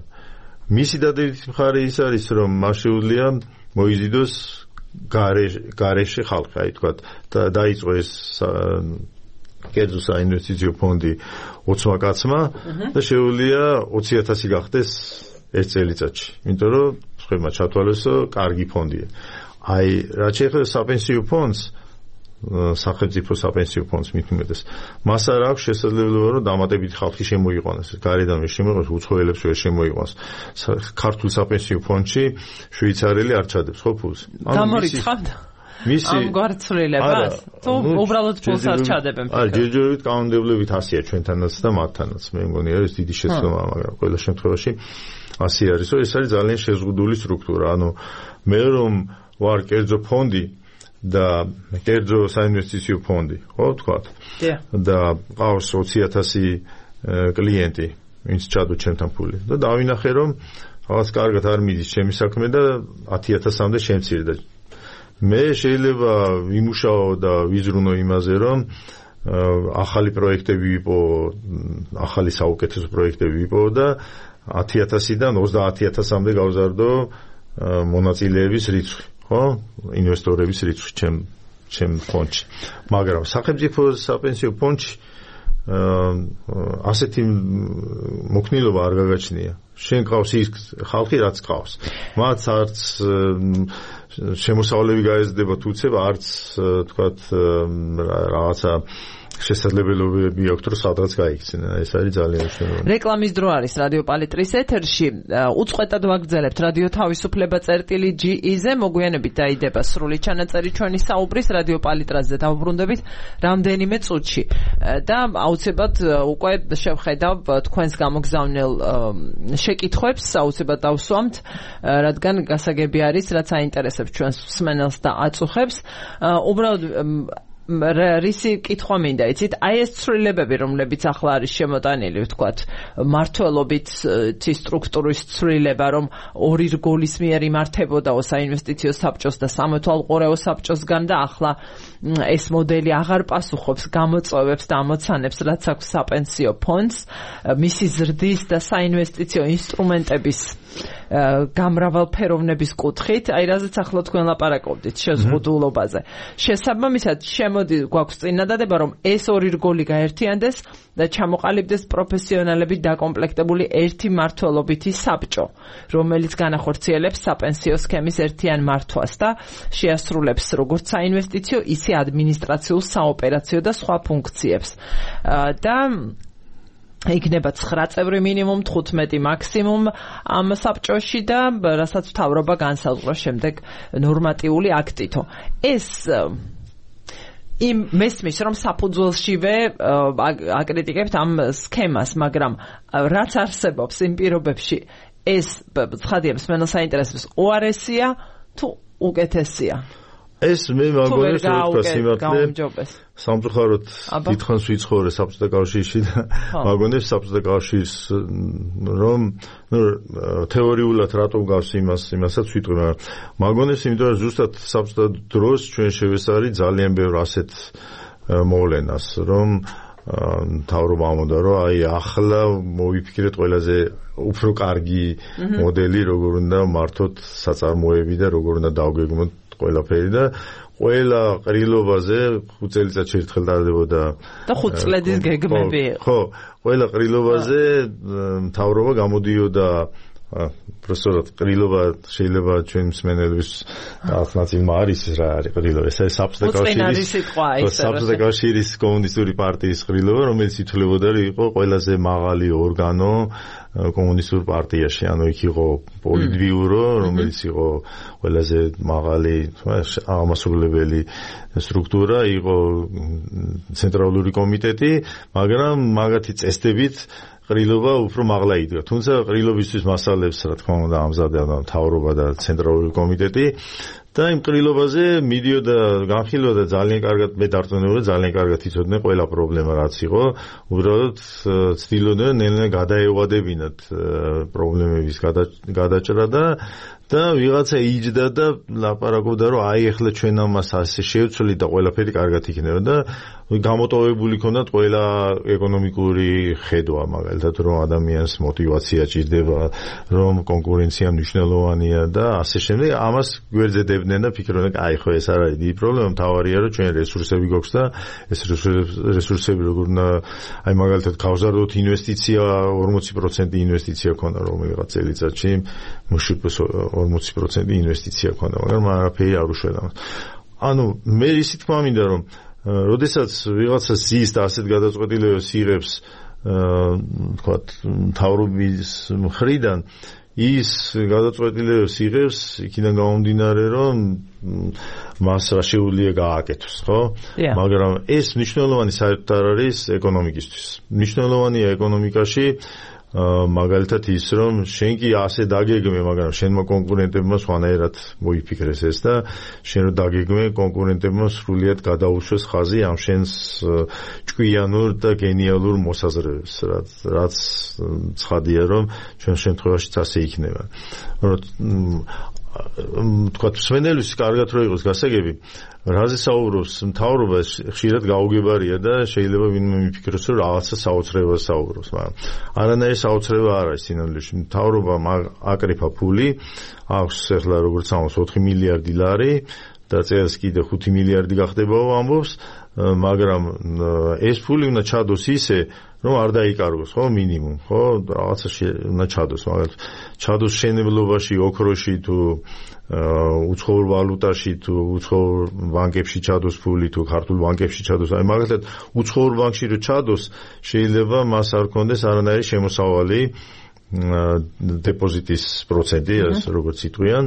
მისი დადებითი მხარე ის არის, რომ მას შეუძლია მოიზიდოს გარეშე ხალხი, აი თქვა და დაიწყო ეს კერძო საინვესტიციო ფონდი ოცმა კაცმა და შეუძლია ოცი ათასი გახდეს ერთ წელიწადში, იმიტომ რომ სხვებმა ჩათვალეს, რომ კარგი ფონდია. აი რაც შეეხება საპენსიო ფონდს, სახელმწიფო საპენსიო ფონდს მithumetes, მას არ აქვს შესაძლებლობა, რომ დამატებითი ხალხი შემოიყვანოს, გარედან ვერ შემოიყვანოს, უცხოელებს ვერ შემოიყვანოს. ქართულ საპენსიო ფონდში შვეიცარიელი არ ჩადებს ხო ფულს? გამორიცხავთ მისი ამ გვარცვლილებას? თუ უბრალოდ ფულს არ ჩადებენ? არა, ჯერჯერობით კანონმდებლობით ასეა ჩვენთანაც და მათთანაც. მე მგონი არის დიდი შეცდომაა, მაგრამ ყველა შემთხვევაში ასე არის, რომ ეს არის ძალიან შეზღუდული სტრუქტურა. ანუ მე რომ ვარ კერძო ფონდი და კერძო საინვესტიციო ფონდი, ხო ვთქვათ? და ყავს ოცი ათასი კლიენტი, ვინც ჩადო ჩემთან ფული. და დავინახე, რომ რაღაც კარგად არ მიდის ჩემი საქმე და ათი ათასამდე შემცირდა. მე შეიძლება ვიმუშაო და ვიზრუნო იმაზე, რომ ახალი პროექტები ვიპო, ახალი საუკეთესო პროექტები ვიპო და ათი ათასიდან ოცდაათი ათასამდე გავზარდო მონაწილეების რიცხვი. ხო, ინვესტორების რიცხვი ჩემ ჩემ ფონდში. მაგრამ სახელმწიფო საპენსიო ფონდში ასეთი მოქნილობა არ გაგაჩნია. შენ ყავს ის ხალხი, რაც ყავს. მათ არც შემოსავლები გაეზრდება თუცებ, არც თქვათ რაღაცა შესაძლებლობები აქვს რომ სადღაც გაიქცნენ. ეს არის ძალიან მნიშვნელოვანი. რეკლამის დრო არის რადიო პალიტრის ეთერში. უწყვეტად ვაგრძელებთ რადიო თავისუფლება წერტილი ჯი ი-ზე. მოგვიანებით დაიდება სრული ჩანაწერი ჩვენი საუბრის რადიო პალიტრაზე დავბრუნდებით რამდენიმე წუთში. და აუცილებლად უკვე შევხედავ თქვენს გამოგზავნილ შეკითხვებს, აუცილებლად დავსვამთ, რადგან გასაგები არის, რაც აინტერესებს ჩვენს მსმენელს და აწუხებს. უბრალოდ რისი კითხვა მინდა იცით აი ეს ცვლილებები რომლებიც ახლა არის შემოტანილი ვთქვათ მართლობით სტრუქტურის ცვლილება რომ ორი რგოლის მიერ იმართებოდაო საინვესტიციო საბჭოს და სამეთვალყურეო საბჭოსგან და ახლა ეს მოდელი აღარ პასუხობს გამოწვევებს და ამოცანებს რაც აქვს საპენსიო ფონდს მისი ზრდის და საინვესტიციო ინსტრუმენტების გამრავალფეროვნების კუთხით აი რაზეც ახლა თქვენ ლაპარაკობდით შეზღუდულობაზე შესაბამისად მოდი გვაქვს წინადადება რომ ეს ორი რგოლი გაერთიანდეს და ჩამოყალიბდეს პროფესიონალები დაკომპლექტებული ერთი მმართველობითი საბჭო, რომელიც განახორციელებს საპენსიო სქემის ერთიან მართვას და შეასრულებს როგორც საინვესტიციო, ისე ადმინისტრაციულ, საოპერაციო და სხვა ფუნქციებს. და იქნება ცხრა წევრი მინიმუმ, თხუთმეტი მაქსიმუმ ამ საბჭოში და რასაც მთავრობა განსაზღვროს შემდეგ ნორმატიული აქტითო. ეს იმ მესმის რომ საფუძველშივე აკრიტიკებთ ამ სქემას, მაგრამ რაც არსებობს იმ პირობებში ეს ცხადია მსმენელს აინტერესებს უარესია თუ უკეთესია. ეს მე მაგონებს რომ სიმართლე სამწუხაროდ დიდხანს ვიცხოვრე საბჭოთა კავშირში და მაგონებს საბჭოთა კავშირს რომ ნუ თეორიულად რატომ გავს იმას იმასაც ვიტყვი მაგრამ მაგონებს იმიტომ რომ ზუსტად საბჭოთა დროს ჩვენ შევესწარი ძალიან ბევრ ასეთ მოვლენას რომ თავრობა ამოდა რომ აი ახლა მოვიფიქრეთ ყველაზე უფრო კარგი მოდელი როგორ უნდა მართოთ საწარმოები და როგორ უნდა დავგეგმოთ ყველაფერი და ყველა ყრილობაზე ხუთ წელიწადში ერთხელ ტარდებოდა და ხუთ წლედის გეგმები ხო ყველა ყრილობაზე მთავრობა გამოდიოდა პროფესორად ყრილობა შეიძლება ჩვენ მსმენელების ალტერნატივა არის რა არის ყრილობა ეს არის საბჭოთა კავშირის საბჭოთა კავშირის კომუნისტური პარტიის ყრილობა რომელიც ითვლებოდა რომ იყო ყველაზე მაღალი ორგანო კომუნისტურ პარტიაში ანუ იქ იყო პოლიტბიურო რომელიც იყო ყველაზე მაღალი აღმასრულებელი სტრუქტურა იყო ცენტრალური კომიტეტი მაგრამ მაგათი წესდებით ყრილობა უფრო მაღლა იდგა. თუმცა ყრილობისთვის მასალებს რა თქმა უნდა ამზადებდა მთავრობა და ცენტრალური კომიტეტი და იმ ყრილობაზე მიდიოდა განხილვოდა ძალიან კარგად მე დარწმუნებული ძალიან კარგად იცოდნენ ყველა პრობლემა რაც იყო. უბრალოდ ცდილობდნენ ნელ-ნელა გადაევადებინათ პრობლემების გადაჭრა და და ვიღაცა იჯდა და ლაპარაკობდა რომ აი ახლა ჩვენ ამას ასე შევცვლით და ყველაფერი კარგად იქნება და გამოტოვებული ქონდათ ყველა ეკონომიკური ხედვა მაგალითად რომ ადამიანს мотиваცია ჭირდება რომ კონკურენცია მნიშვნელოვანია და ასე შემდეგ ამას გვერდზედებდნენ და ფიქრობდნენ აი ხო ეს არ არის დიდი პრობლემა მთავარია რომ ჩვენ რესურსები გვაქვს და ეს რესურსები როგორ უნდა აი მაგალითად გავზარდოთ ინვესტიცია ორმოცი პროცენტი ინვესტიცია ქონდა რომელიღაც წელიწადში მუში ორმოცი პროცენტი ინვესტიცია ქონდა მაგრამ არაფერი არ უშველა ანუ მე ისე თქმა მინდა რომ როდესაც ვიღაცა ზის და ასეთ გადაწყვეტილებებს იღებს თქვათ მთავრობის მხრიდან ის გადაწყვეტილებებს იღებს იქიდან გამომდინარე რომ მას რა შეუძლია გააკეთოს ხო მაგრამ ეს მნიშვნელოვანი საერთოდ არ არის ეკონომიკისთვის მნიშვნელოვანია ეკონომიკაში მაგალითად ის რომ შენ კი ასე დაგეგმე მაგრამ შენმა კონკურენტებმა სხვანაირად მოიფიქრეს ეს და შენ რო დაგეგმე კონკურენტებმა სრულიად გადაუშვეს ხაზი ამ შენს ჭკვიანურ და გენიალურ მოსაზრებებს რაც რაც ცხადია რომ ჩვენ შემთხვევაშიც ასე იქნება თქვათ მსმენელს კარგად რო იყოს გასაგები რაზე საუბრობს მთავრობა ხშირად გაუგებარია და შეიძლება ვინმე მიფიქროს რომ რაღაცა საოცრებას საუბრობს მაგრამ არანაირი საოცრება არ არის სინამდვილეში მთავრობა აკრიფა ფული აქვს ახლა როგორც ამბობს ოთხი მილიარდი ლარი და წელს კიდე ხუთი მილიარდი გახდებაო ამბობს მაგრამ ეს ფული უნდა ჩადოს ისე, რომ არ დაიკარგოს, ხო, მინიმუმ, ხო, რაღაცა უნდა ჩადოს, მაგალითად, ჩადოს შენებლობაში, ოქროში თუ უცხოურ ვალუტაში თუ უცხოურ ბანკებში ჩადოს ფული თუ ქართულ ბანკებში ჩადოს, აი მაგალითად, უცხოურ ბანკში რო ჩადოს, შეიძლება მას არ კონდეს არანაირი შემოსავალი დეპოზიტის პროცენტი, როგორც იტყვიან,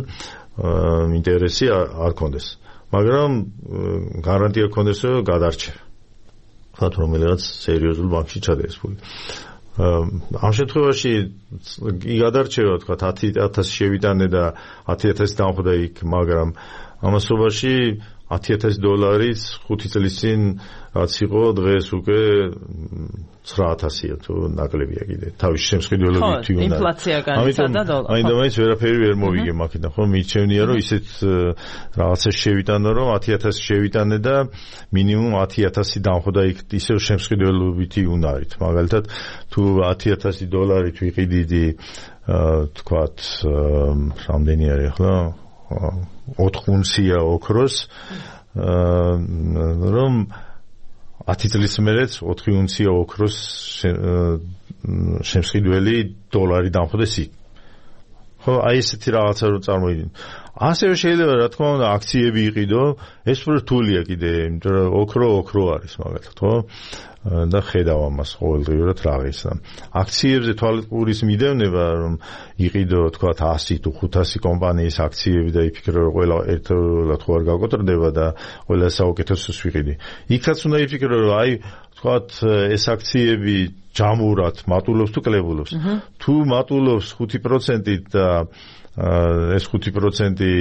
ინტერესი არ კონდეს. მაგრამ გარანტია კონდეს, რომ გადარჩება. ხათ რომელიღაც სერიოზულ ბანკში ჩადდეს ფული. ამ შემთხვევაში კი გადარჩება, თქვა ათი ათასი შევიტანე და ათი ათასი დამხვდა იქ, მაგრამ ამასობაში ათი ათასი დოლარიც ხუთი წლის წინ რაც იყო, დღეს უკვე ცხრა ათასია თუ ნაკლებია კიდე. თავის შემსყიდველობით თვითონ. ხო, ინფლაცია განიცადა დოლარი. აი და მაინც ვერაფერი ვერ მოვიგე მაგიდან, ხო, მირჩევნია რომ ისეთ რაღაცა შევიტანო, რომ ათი ათასი შევიტანე და მინიმუმ ათი ათასი დამხვდა იქ ისევ შემსყიდველობითი უნარით. მაგალითად, თუ ათი ათასი დოლარით ვიყიდიდი, თქვათ, რამდენი არის ახლა? ოთხ უნცია ოქროს, რომ ათი წლის მერეც ოთხი უნცია ოქროს შემსყიდველი დოლარი დამხვდეს იქ. ხო, აი ესეთი რაღაცა რომ წარმოიდგინე. ასევე შეიძლება რა თქმა უნდა აქციები იყიდო, ეს რთულია კიდე, იმიტომ რომ ოქრო ოქრო არის მაგალითად, ხო? და ხედავ ამას ყოველდღიურად რაღაც. აქციებზე თვალყურის მიდევნება, რომ იყიდო თქვათ ასი თუ ხუთასი კომპანიის აქციები და იფიქრო რომ ყველა ერთად ხო არ გაკოტრდება და ყველა საუკეთესოს ვიყიდი. იქაც უნდა იფიქრო რომ აი თქვათ ეს აქციები ჯამურად მატულობს თუ კლებულობს. თუ მატულობს ხუთი პროცენტით და ეს ხუთი პროცენტი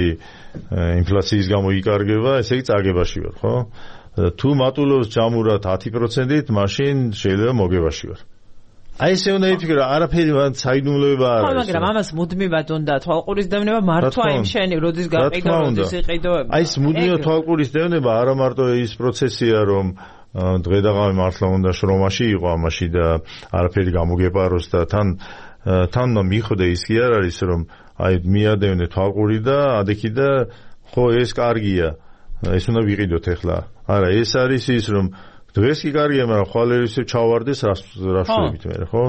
ინფლაციის გამო იკარგება, ესე იგი წაგებაში ვარ, ხო? თუ მატულობს ჯამურად ათი პროცენტით, მაშინ შეიძლება მოგებაში ვარ. აი ესე უნდა იფიქრო, არაფერი მან საიდუმლოება არ არის. ხო, მაგრამ ამას მუდმივად უნდა თვალყურის დევნება მართვა იმ შენი, როდის გაყიდო, როდის იყიდო. აი ეს მუდმივად თვალყურის დევნება არა მარტო ის პროცესია, რომ დღე და ღამე მართლა უნდა შრომაში იყო ამაში და არაფერი გამოგეპაროს და თან თან მიხვდე ის კი არ არის, რომ აი მიადევნე თვალყური და ადექი და ხო ეს კარგია. ეს უნდა ვიყიდოთ ახლა. არა, ეს არის ის, რომ დღეს კი კარგია, მაგრამ ხვალ ისე ჩავარდეს რას რას ვებით მე, ხო?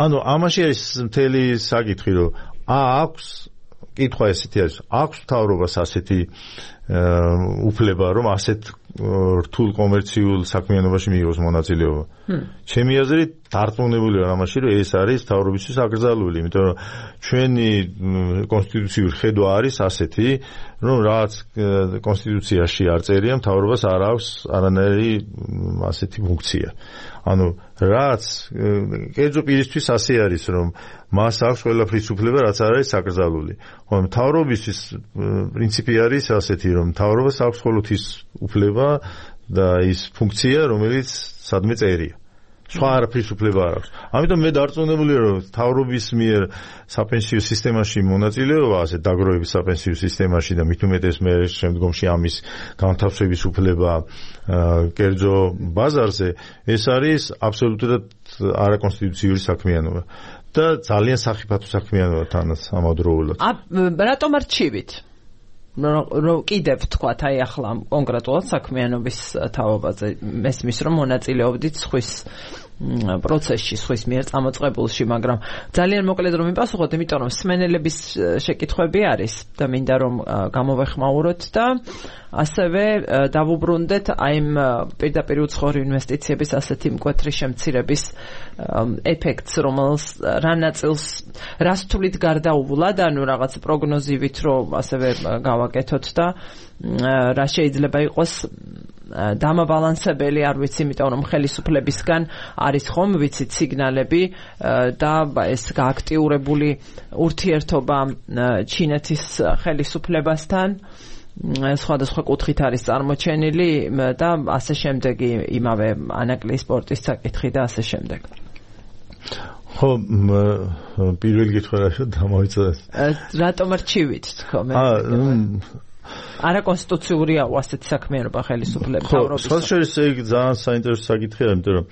ანუ ამაში არის მთელი საკითხი, რომ ა აქვს კითხვა ესეთი არის, აქვს მთავრობას ასეთი უფლება, რომ ასეთ რთულ კომერციულ საქმიანობაში მიიღოს მონაწილეობა. ჩემი აზრით დარწმუნებული ვარ ამაში, რომ ეს არის მთავრობისთვის აკრძალული, იმიტომ რომ ჩვენი კონსტიტუციური ხედვა არის ასეთი, რომ რაც კონსტიტუციაში არ წერია, მთავრობას არ აქვს არანაირი ასეთი ფუნქცია. ანუ რაც კერძო პირისთვის ასე არის, რომ მას აქვს ყველაფრის უფლება, რაც არ არის აკრძალული. ხოლო მთავრობისთვის პრინციპი არის ასეთი, რომ მთავრობას აქვს მხოლოდ ის უფლება და ის ფუნქცია, რომელიც სადმე წერია. სხვა არაფრის უფლება არ აქვს. ამიტომ მე დარწმუნებული ვარ, რომ მთავრობის მიერ საპენსიო სისტემაში მონაწილეობა, ასე დაგროვების საპენსიო სისტემაში და მით უმეტეს მე შემდგომში ამის განთავსების უფლება კერძო ბაზარზე, ეს არის აბსოლუტურად არაკონსტიტუციური საქმიანობა და ძალიან სახიფათო საქმიანობა თანაც ამავდროულად. რატომ არჩივით? რომ კიდევ თქვათ აი ახლა კონკრეტულად საქმიანობის თაობაზე მესმის რომ მონაწილეობდით სხვის პროცესში, სხვის მიერ წამოწყებულში, მაგრამ ძალიან მოკლედ რომ მიპასუხოთ, იმიტომ რომ სმენელების შეკითხვები არის და მინდა რომ გამოვეხმაუროთ და ასევე დავუბრუნდეთ აი იმ პირდაპირ უცხოური ინვესტიციების ასეთი მკვეთრი შემცირების ეფექტს, რომელს რა ნაწილს რას თulit გარდაუვლად, ანუ რაღაც პროგნოზივით რომ ასევე გავაკეთოთ და რა შეიძლება იყოს დამაბალანსებელი, არ ვიცი, იმიტომ რომ ხელისუფლებისგან არის ხომ ვიცით სიგნალები და ეს გააქტიურებული ურთიერთობა ჩინეთის ხელისუფლებასთან სხვადასხვა კუთხით არის წარმოჩენილი და ასე შემდეგი იმავე ანაკლიის სპორტის საკითხი და ასე შემდეგ. ხო, პირველი კითხვა რა დამოიწოდა? რატომ არჩივით თქო მე? არაკონსტიტუციურია ასეთი საქმიანობა ხელისუფლების თავრობის. ხო, სხვაშორის ეგ ძალიან საინტერესო საკითხია, იმიტომ რომ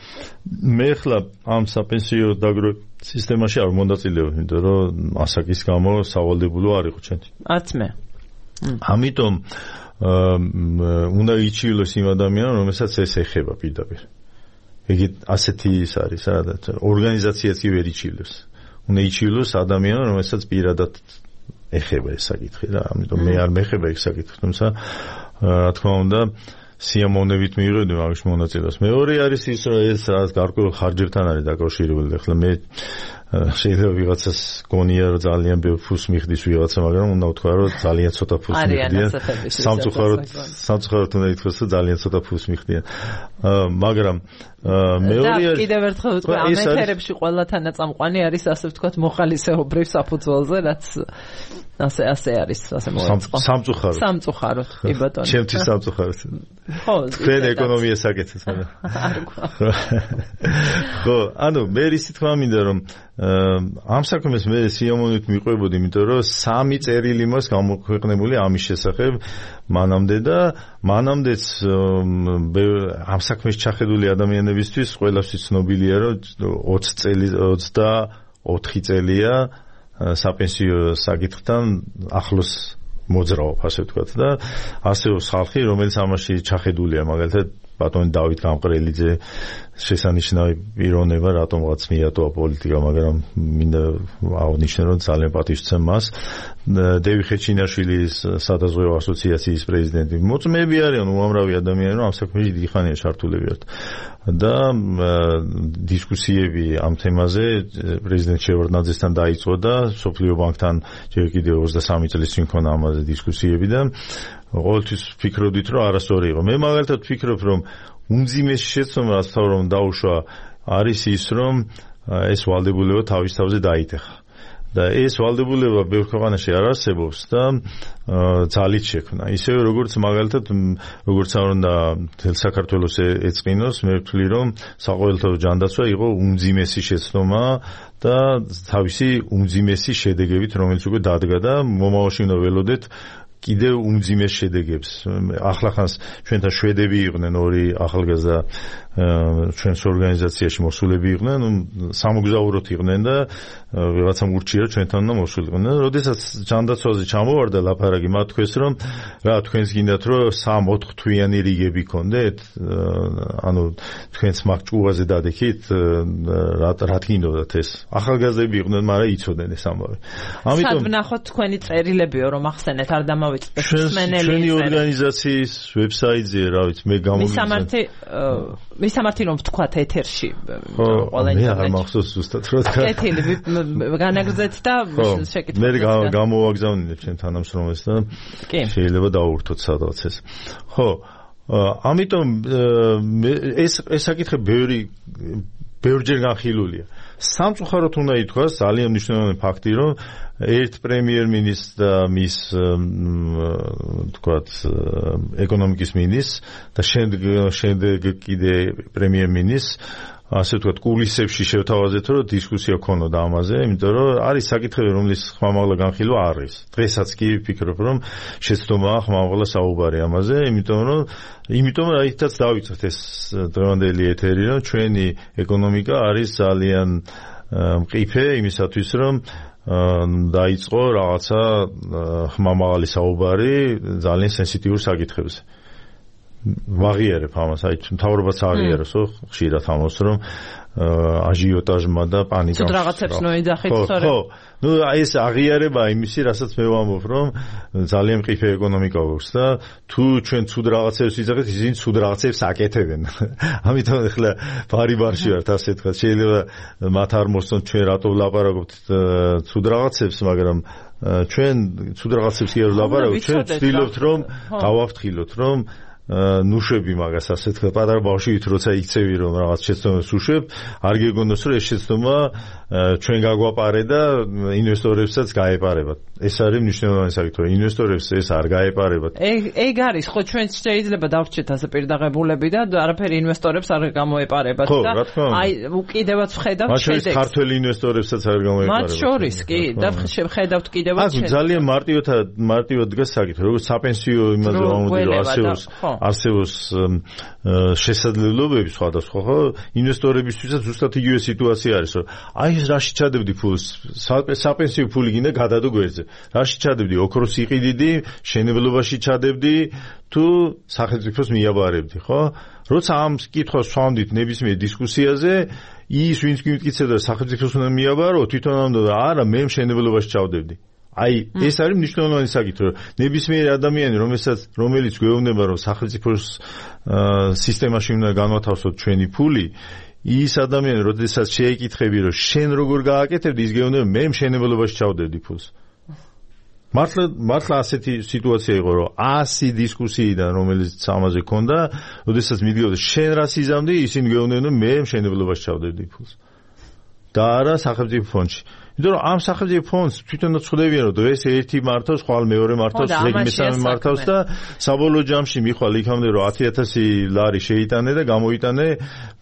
მე ხლა ამ საპენსიო დაგროვების სისტემაში არ მონაწილეობ, იმიტომ რომ ასაკის გამო სავალდებულო არ იყო ჩემთვის. არც მე. ამიტომ უნდა იჩივლოს იმ ადამიანს, რომელსაც ეს ეხება პირდაპირ. იგი ასეთი ის არის, სადაც ორგანიზაციაც კი ვერ იჩივლოს. უნდა იჩივლოს ადამიანს, რომელსაც პირადად ეხება ეს საკითხი რა. ამიტომ მე არ მეხება ეს საკითხი, თუმცა რა თქმა უნდა სიამოვნებით მივიღებდი მაგის მონაწილეობას. მეორე არის ის, რომ ეს რაღაც გარკვეულ ხარჯებთან არის დაკავშირებული. ახლა მე შეიძლება ვიღაცას გონია რომ ძალიან ბევრ ფულს მიხდის ვიღაცა, მაგრამ უნდა ვთქვა რომ ძალიან ცოტა ფულს მიხდიან. სამწუხაროდ სამწუხაროდ უნდა ითქვას რომ ძალიან ცოტა ფულს მიხდიან. მაგრამ მეორე არის კიდევ ერთხელ ვთქვა, ამ ეთერებში ყველა თანაწამყვანი არის ასე ვთქვათ მოხალისეობრივ საფუძველზე, რაც ასე ასე არის, ასე მოეწყო. სამწუხაროდ. სამწუხაროდ, კი ბატონო. ჩემთვის სამწუხაროდ. ხო, თქვენ ეკონომიას აკეთებთ, მაგრამ. ხო, ანუ მე ისე თქვა მინდა რომ ამ საქმეს მე სიამოვნებით მიყვებოდი, იმიტომ რომ სამი წერილი მას გამოქვეყნებული ამის შესახებ მანამდე და მანამდეც ამ საქმეს ჩახედული ადამიანებისთვის ყველასთვის ცნობილია, რომ ოცი წელი ოცდაოთხი წელია საპენსიო საკითხთან ახლოს მოძრაობ, ასე ვთქვათ და ასეულს ხალხი, რომელიც ამაში ჩახედულია, მაგალითად ბატონი დავით გამყრელიძე შესანიშნავი პიროვნება, რატომღაც მიატოვა პოლიტიკა, მაგრამ მინდა აღნიშნო, რომ ძალიან პატივს მას. დევი ხეჩინაშვილის სადაზღვევო ასოციაციის პრეზიდენტი. მოწმეები არიან უამრავი ადამიანი, რომ ამ საქმეში დიდი ხანია ჩართულები ართ. და დისკუსიები ამ თემაზე პრეზიდენტ შევარდნაძესთან დაიწყო და სოფლიო ბანკთან ჯერ კიდევ ოცდასამი წლის წინ ქონა ამაზე დისკუსიები და ყოველთვის ფიქრობდით, რომ არასწორი იყო. მე მაგალითად ვფიქრობ, რომ უმძიმესი შეცდომა, რაც თავრომ დაუშვა, არის ის, რომ ეს ვალდებულება თავის თავზე დაიტეხა. და ეს ვალდებულება ბევრ ქვეყანაში არ არსებობს და ძალით შექმნა. ისევე როგორც მაგალითად, როგორც არ უნდა მთელ საქართველოს ეწყინოს, მე ვთვლი, რომ საყოველთაო ჯანდაცვა იყო უმძიმესი შეცდომა და თავისი უმძიმესი შედეგებით, რომელიც უკვე დადგა და მომავალში უნდა ველოდეთ კიდევ უმძიმეს შედეგებს. ახლახანს ჩვენთან შვედები იყვნენ, ორი ახალგაზრდა ჩვენს ორგანიზაციაში მოსულები იყვნენ, სამოგზაუროდ იყვნენ და ვიღაცამ ურჩია ჩვენთან უნდა მოსულიყვნენ. როდესაც ჯანდაცვაზე ჩამოვარდა ლაპარაკი, მათ თქვეს, რომ რა თქვენს გინდათ, რომ სამ-ოთხ თვიანი რიგები გქონდეთ, ანუ თქვენს მაგ ჭუაზე დადექით, რა რა გინდოდათ ეს. ახალგაზრდები იყვნენ, მაგრამ იცოდნენ ეს ამბავი. ამიტომ სად ვნახოთ თქვენი წერილებიო, რომ ახსენეთ, არ დამავიწყდეთ მსმენელი. ჩვენი ორგანიზაციის ვებსაიტზე, რა ვიცი, მე გამოვიდა. მისამართი მისამართი რომ ვთქვათ ეთერში ყველა ინტერნეტში. მე არ მახსოვს ზუსტად რა თქვა. კეთილი განაგრძეთ და შეკითხოთ. მე გამოვაგზავნინებ ჩემ თანამშრომელს და შეიძლება დავურთოთ სადღაც ეს. ხო, ამიტომ ეს ეს საკითხი ბევრი ბევრჯერ განხილულია. სამწუხაროდ უნდა ითქვას, ძალიან მნიშვნელოვანი ფაქტი, რომ ერთ პრემიერ-მინისტრს და მის თქვათ ეკონომიკის მინისტრს და შემდეგ შემდეგ კიდე პრემიერ-მინისტრს ასე ვთქვათ, კულისებში შევთავაზეთ, რომ დისკუსია ქონოდა ამაზე, იმიტომ რომ არის საკითხები, რომლის ხმამაღლა განხილვა არ არის. დღესაც კი ვფიქრობ, რომ შეცდომაა ხმამაღლა საუბარი ამაზე, იმიტომ რომ იმიტომ რომ აითაც დავიწყეთ ეს დღევანდელი ეთერი, რომ ჩვენი ეკონომიკა არის ძალიან მყიფე იმისათვის, რომ დაიწყო რაღაცა ხმამაღალი საუბარი ძალიან სენსიტიურ საკითხებზე. ვაღიარებ ამას, აი მთავრობაც აღიარებს, ხო, ხშირად ამას, რომ აჟიოტაჟმა და პანიკამ. თუ რაღაცებს ნოიძახით, სწორედ. ხო, ну ეს აღიარება იმისი, რასაც მე ვამბობ, რომ ძალიან მყიფე ეკონომიკა გვაქვს და თუ ჩვენ ცუდ რაღაცებს ვიძახით, ისინი ცუდ რაღაცებს აკეთებენ. ამიტომ ახლა ბარი-ბარში ვართ, ასე ვთქვათ, შეიძლება მათ არ მოსწონთ ჩვენ რატო ვლაპარაკობთ ცუდ რაღაცებს, მაგრამ ჩვენ ცუდ რაღაცებს კი არ ვლაპარაკობთ, ჩვენ ვცდილობთ, რომ გავაფრთხილოთ, რომ ნუშვები მაგას ასე თქვა პატარა ბავშვით როცა იქცევი რომ რაღაც შეცდომას უშვებ არ გეგონოს რომ ეს შეცდომა ჩვენ გაგვაპარე და ინვესტორებსაც გაეპარებათ ეს არის მნიშვნელოვანი საკითხი ინვესტორებს ეს არ გაეპარებათ ეგ ეგ არის ხო ჩვენ შეიძლება დავრჩეთ ასე პირდაღებულები და არაფერი ინვესტორებს არ გამოეპარებათ და აი უკიდევაც ვხედავთ შედეგს მათ ქართველი ინვესტორებსაც არ გამოეპარებათ მათ შორის კი და ვხედავთ კიდევაც შედეგს ძალიან მარტივად მარტივად დგას საკითხი როგორც საპენსიო იმაზე ვამბობდი რომ ასეულს არსებობს შესაძლებლობები სხვადასხვა, ხო? ინვესტორებისთვისაც ზუსტად იგივე სიტუაცია არის, რომ აი ეს რაში ჩადებდი ფულს, საპენსიო ფული გინდა გადადო გვერდზე. რაში ჩადებდი, ოქროს იყიდიდი, მშენებლობაში ჩადებდი, თუ სახელმწიფოს მიაბარებდი, ხო? როცა ამ კითხვას ვსვამდით ნებისმიერ დისკუსიაზე, ის ვინც გიმტკიცებდა სახელმწიფოს უნდა მიაბარო, თვითონ ამბობდა, არა, მე მშენებლობაში ჩავდებდი. აი, ეს არის მნიშვნელოვანი საკითხი, რომ ნებისმიერი ადამიანი, რომელსაც რომელიც გვეუბნება, რომ სახელმწიფოს სისტემაში უნდა განვათავსოთ ჩვენი ფული, ის ადამიანი, როდესაც შეეკითხები, რომ შენ როგორ გააკეთებდი, ის გეუბნება, მე მშენებლობაში ჩავდებდი ფულს. მართლა მართლა ასეთი სიტუაცია იყო, რომ ასი დისკუსიიდან, რომელიც ამაზე ქონდა, როდესაც მიდიოდა შენ რას იზამდი, ისინი გეუბნებდნენ, მე მშენებლობაში ჩავდებდი ფულს. და არა სახელმწიფო ფონდში. იმიტომ რომ ამ სახელმწიფო ფონდს თვითონაც ხვდებიან, რომ დღეს ერთი მართავს, ხვალ მეორე მართავს, ზეგი მესამე მართავს და საბოლოო ჯამში მიხვალ იქამდე, რომ ათი ათასი ლარი შეიტანე და გამოიტანე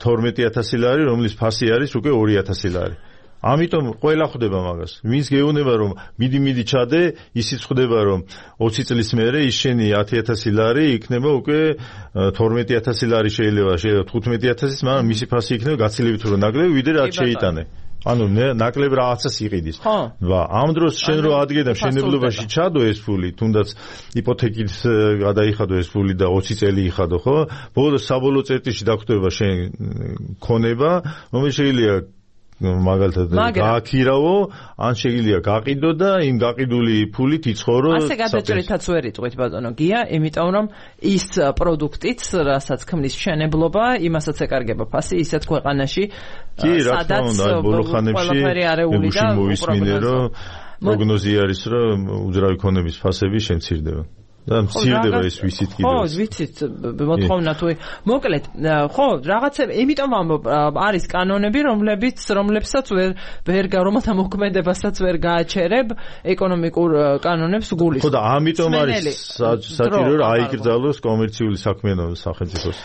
თორმეტი ათასი ლარი, რომლის ფასი არის უკვე ორი ათასი ლარი. ამიტომ ყველა ხვდება მაგას. ვინც გეუბნება, რომ მიდი მიდი ჩადე, ისიც ხვდება, რომ ოცი წლის მერე ის შენი ათი ათასი ლარი იქნება უკვე თორმეტი ათასი ლარი შეიძლება, შეიძლება თხუთმეტი ათასის, მაგრამ მისი ფასი იქნება გაცილებით უფრო ნაკლები, ვიდრე რაც შეიტანე. ანუ ნაკლებ რაღაცას იყიდის. ვა, ამ დროს შენ რო ადგე და მშენებლობაში ჩადო ეს ფული, თუნდაც იპოთეკით გადაიხადო ეს ფული და ოცი წელი იხადო, ხო? ბოლოს საბოლოო წერტილში დაგვხვდება შენ ქონება, რომელიც შეიძლება მაგალითად გააქირავო, ან შეიძლება გაყიდო და იმ გაყიდული ფულით იცხოვრო. ასე გადაჭრითაც ვერ იტყვით ბატონო გია, იმიტომ რომ ის პროდუქტიც, რასაც ქმნის მშენებლობა, იმასაც ეკარგება ფასი, ისეთ ქვეყანაში, სადაც ყველაფერი არეული და მოვისმინე, რომ პროგნოზი არის, რომ უძრავი ქონების ფასები შემცირდება. და მცირდება ეს ვიცით კიდევ. ხო, ვიცით, მოთხოვნა თუ მოკლედ, ხო, რაღაცა, იმიტომ არის კანონები, რომლებიც, რომლებსაც ვერ ვერ რომელთა მოქმედებასაც ვერ გააჩერებ ეკონომიკურ კანონებს გულისხმობ. ხო და ამიტომ არის საჭირო რომ აიკრძალოს კომერციული საქმიანობა სახელმწიფოს.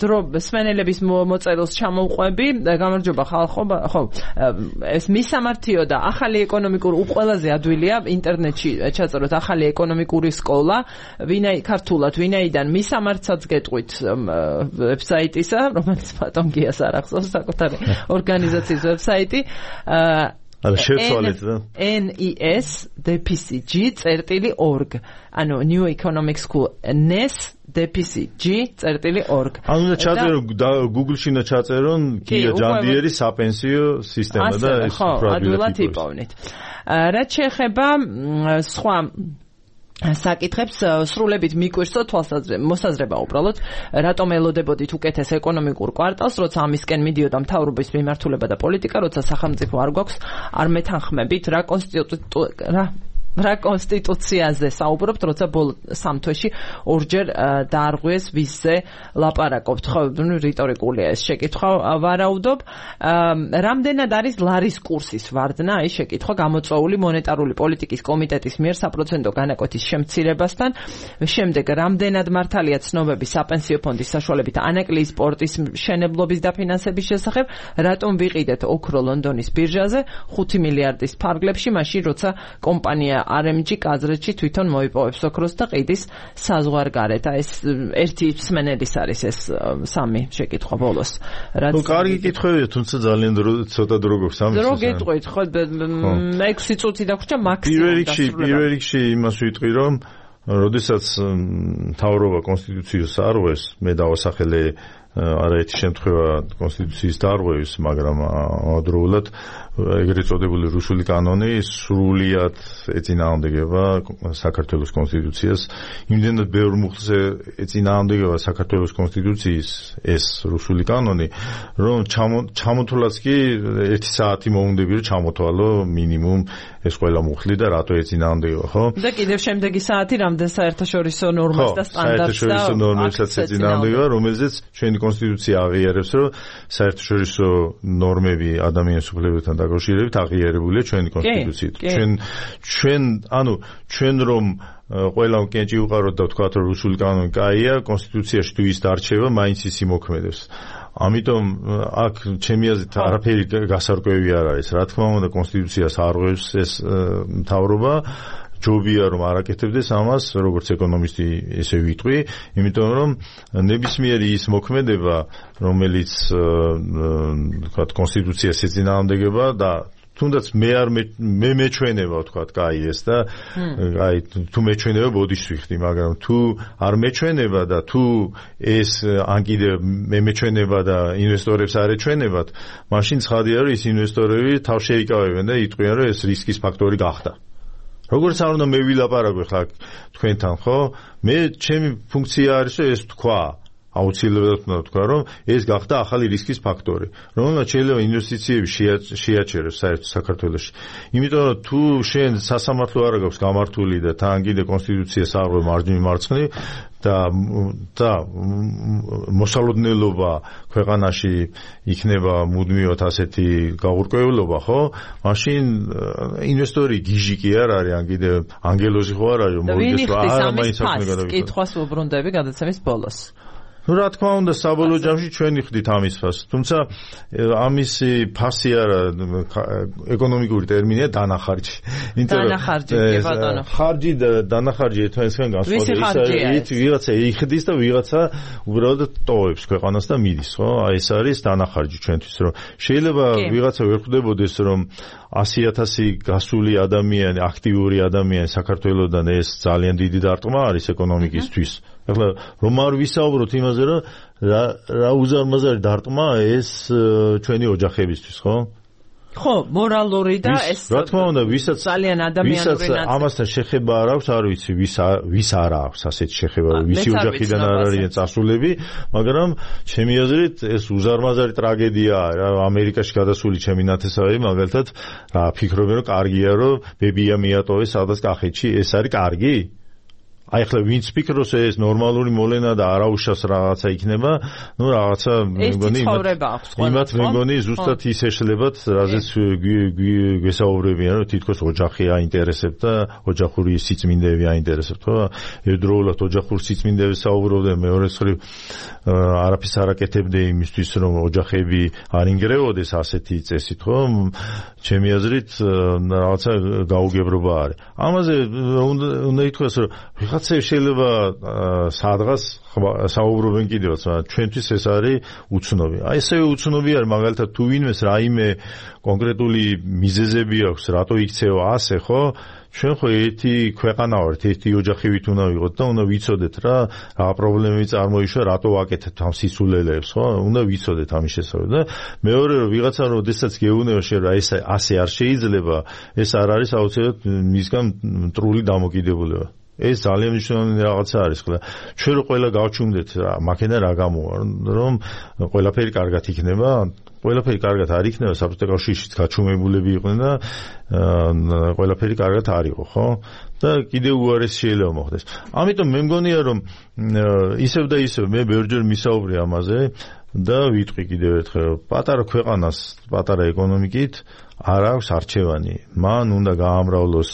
დრო სმენელების მოწერილს ჩამოვყვები, გამარჯობა ხალხო, ხო, ეს მისამართიო და ახალი ეკონომიკურ უყველაზე ადვილია ინტერნეტში ჩაწეროთ ახალი ეკონომიკური სკოლა ვინაი ქართულად ვინაიდან მისამართსაც გეტყვით ვებსაიტისა, რომელიც ბატონ გიას არ ახსოვს საკუთარი ორგანიზაციის ვებსაიტი არა შევცვალეთ და N E S D P C G წერტილი org ანუ New Economic School N E S D P C G წერტილი org ანუ და ჩაწერო Google-ში და ჩაწერონ გია ჯანდიერი საპენსიო სისტემა და ეს უფრო ადვილად იპოვნით. რაც შეეხება სხვა საკითხებს სრულებით მიკვირსო თვალსაზრება მოსაზრება უბრალოდ რატომ ელოდებოდით უკეთეს ეკონომიკურ კვარტალს, როცა ამისკენ მიდიოდა მთავრობის მიმართულება და პოლიტიკა, როცა სახელმწიფო არ გვაქვს არ მეთანხმებით რა კონსტიტუცია რა რა კონსტიტუციაზე საუბრობთ, როცა ბოლო სამ თვეში ორჯერ დაარღვიეს ვისზე ლაპარაკობთ. ხო, რიტორიკულია ეს შეკითხვა, ვარაუდობ. რამდენად არის ლარის კურსის ვარდნა, აი შეკითხვა გამოწვეული მონეტარული პოლიტიკის კომიტეტის მიერ საპროცენტო განაკვეთის შემცირებასთან. შემდეგ რამდენად მართალია ცნობები საპენსიო ფონდის საშუალებით ანაკლიის პორტის მშენებლობის დაფინანსების შესახებ, რატომ ვიყიდეთ ოქრო ლონდონის ბირჟაზე ხუთი მილიარდის ფარგლებში, მაშინ როცა კომპანია R M G კაზრეთში თვითონ მოიპოვებს ოქროს და ყიდის საზღვარგარეთ. ეს ერთი სმენელის არის ეს სამი შეკითხვა ბოლოს. რაც ნუ კარგი კითხვებია, თუმცა ძალიან ცოტა დრო გვაქვს ამის. დრო გეტყვით, ხო, ექვსი წუთი დაგვრჩა მაქსიმუმ. პირველ რიგში, პირველ რიგში იმას ვიტყვი, რომ როდესაც მთავრობა კონსტიტუციას არღვევს, მე დავასახელე არაერთი შემთხვევა კონსტიტუციის დარღვევის, მაგრამ ამავდროულად ეგრეთ წოდებული რუსული კანონი სრულიად ეწინააღმდეგება საქართველოს კონსტიტუციას. იმდენად ბევრ მუხლს ეწინააღმდეგება საქართველოს კონსტიტუციის ეს რუსული კანონი, რომ ჩამოთვლაც კი ერთი საათი მოუნდები რომ ჩამოთვალო მინიმუმ ეს ყველა მუხლი და რატო ეწინააღმდეგება, ხო? და კიდევ შემდეგი საათი რამდენ საერთაშორისო ნორმას და სტანდარტს და საერთაშორისო ნორმებსაც ეწინააღმდეგება, რომელზეც ჩვენი კონსტიტუცია აღიარებს, რომ საერთაშორისო ნორმები ადამიანის უფლებებთან დაკავშირებით აღიარებულია ჩვენი კონსტიტუციით. ჩვენ ჩვენ ანუ ჩვენ რომ ყველა კენჭი უყაროთ და ვთქვათ რომ რუსული კანონი კაია, კონსტიტუციაში თუ ის დარჩება, მაინც ის იმოქმედებს. ამიტომ აქ ჩემი აზრით არაფერი გასარკვევი არ არის. რა თქმა უნდა კონსტიტუციას არღვევს ეს მთავრობა. ჯობია რომ არ აკეთებდეს ამას, როგორც ეკონომისტი ესე ვიტყვი, იმიტომ რომ ნებისმიერი ის მოქმედება, რომელიც თქვა კონსტიტუციას ეწინააღმდეგება და თუნდაც მე არ მე მეჩვენება თქვა კაი ეს და აი თუ მეჩვენება ბოდიშს ვიხდი, მაგრამ თუ არ მეჩვენება და თუ ეს ან კიდე მე მეჩვენება და ინვესტორებს არ ეჩვენებათ, მაშინ ცხადია რომ ის ინვესტორები თავს შეიკავებენ და იტყვიან რომ ეს რისკის ფაქტორი გახდა. როგორც არ უნდა მე ვილაპარაკო ხა თქვენთან, ხო? მე ჩემი ფუნქცია არის რომ ეს თქვა აუცილებლად უნდა თქვა, რომ ეს გახდა ახალი რისკის ფაქტორი, რომელმაც შეიძლება ინვესტიციები შეაჩეროს საერთოდ საქართველოში. იმიტომ რომ თუ შენ სასამართლო არ აქვს გამართული და თან კიდე კონსტიტუციას არ აღარ მარჯვნივ მარცხნივ და და მოსალოდნელობა ქვეყანაში იქნება მუდმივად ასეთი გაურკვევლობა, ხო? მაშინ ინვესტორი გიჟი კი არ არის, ან კიდე ანგელოზი ხო არ არის, რომ მოვიდეს რა არა მაინც აქვს გადავიქცე. კითხვას უბრუნდები გადაცემის ბოლოს. Ну, რა თქმა უნდა, საბოლოო ჯამში ჩვენ ვიხდით ამის ფასს. თუმცა ამისი ფასი არა ეკონომიკური ტერმინია დანახარჯი. დანახარჯი, კი ბატონო. ხარჯი და დანახარჯი ერთმანეთისგან განსხვავდება. ის ვიღაცა იხდის და ვიღაცა უბრალოდ ტოვებს ქვეყანას და მიდის, ხო? აი ეს არის დანახარჯი ჩვენთვის, რომ შეიძლება ვიღაცა ვერ ხვდებოდეს, რომ ასი ათასი გასული ადამიანი, აქტიური ადამიანი საქართველოსდან ეს ძალიან დიდი დარტყმა არის ეკონომიკისთვის. ახლა რომ არ ვისაუბროთ იმაზე, რომ რა რა უზარმაზარი დარტყმა ეს ჩვენი ოჯახებისთვის, ხო? ხო, მორალური და ეს რა თქმა უნდა, ვისაც ძალიან ადამიანური ნაწილი. ამასთან შეხება არ აქვს, არ ვიცი, ვის ვის არ აქვს ასეთი შეხება, ვისი ოჯახიდან არ არიან წასულები, მაგრამ ჩემი აზრით ეს უზარმაზარი ტრაგედიაა რა, ამერიკაში გადასული ჩემი ნათესავები მაგალითად რა ფიქრობენ, რომ კარგია, რომ ბებია მიატოვეს სადაც კახეთში, ეს არის კარგი? აი ახლა ვინც ფიქრობს ეს ნორმალური მოლენა და არაუშავს რაღაცა იქნება, ну რაღაცა მეგონი იმათ მეგონი ზუსტად ის ეშლებათ, რაზეც გვესაუბრებიან, რომ თითქოს ოჯახი აინტერესებთ და ოჯახური სიწმინდეები აინტერესებთ, ხო? ერთდროულად ოჯახურ სიწმინდეებს საუბრობდნენ, მეორე მხრივ არაფერს არ აკეთებდნენ იმისთვის, რომ ოჯახები არ ინგრევოდეს ასეთი წესით, ხო? ჩემი აზრით რაღაცა გაუგებრობა არის. ამაზე უნდა ითქვას, რომ შეიძლება სადღაც საუბრობენ კიდევაც, მაგრამ ჩვენთვის ეს არის უცნობი. აი ესევე უცნობი არის, მაგალითად თუ ვინმეს რაიმე კონკრეტული მიზეზები აქვს, რატო იქცევა ასე, ხო? ჩვენ ხო ერთი ქვეყანა ვართ, ერთი ოჯახივით უნდა ვიყოთ და უნდა ვიცოდეთ რა რა პრობლემები წარმოიშვა, რატო ვაკეთებთ ამ სისულელეებს, ხო? უნდა ვიცოდეთ ამის შესახებ და მეორე რომ ვიღაცა როდესაც გეუბნება შენ რა ეს ასე არ შეიძლება, ეს არ არის აუცილებლად მისგან მტრული დამოკიდებულება. ეს ძალიან მნიშვნელოვანი რაღაცა არის, ხო? ჩვენ რო ყველა გავჩუმდეთ რა, მაქენა რა გამოვა, რომ ყველაფერი კარგად იქნება, ყველაფერი კარგად არ იქნება, საბჭოთა კავშირშიც გაჩუმებულები იყვნენ და ყველაფერი კარგად არ იყო, ხო? და კიდევ უარეს შეიძლება მოხდეს. ამიტომ მე მგონია, რომ ისევ და ისევ მე ბევრჯერ მისაუბრე ამაზე და ვიტყვი კიდევ ერთხელ, პატარა ქვეყანას, პატარა ეკონომიკით არ აქვს არჩევანი. მან უნდა გაამრავლოს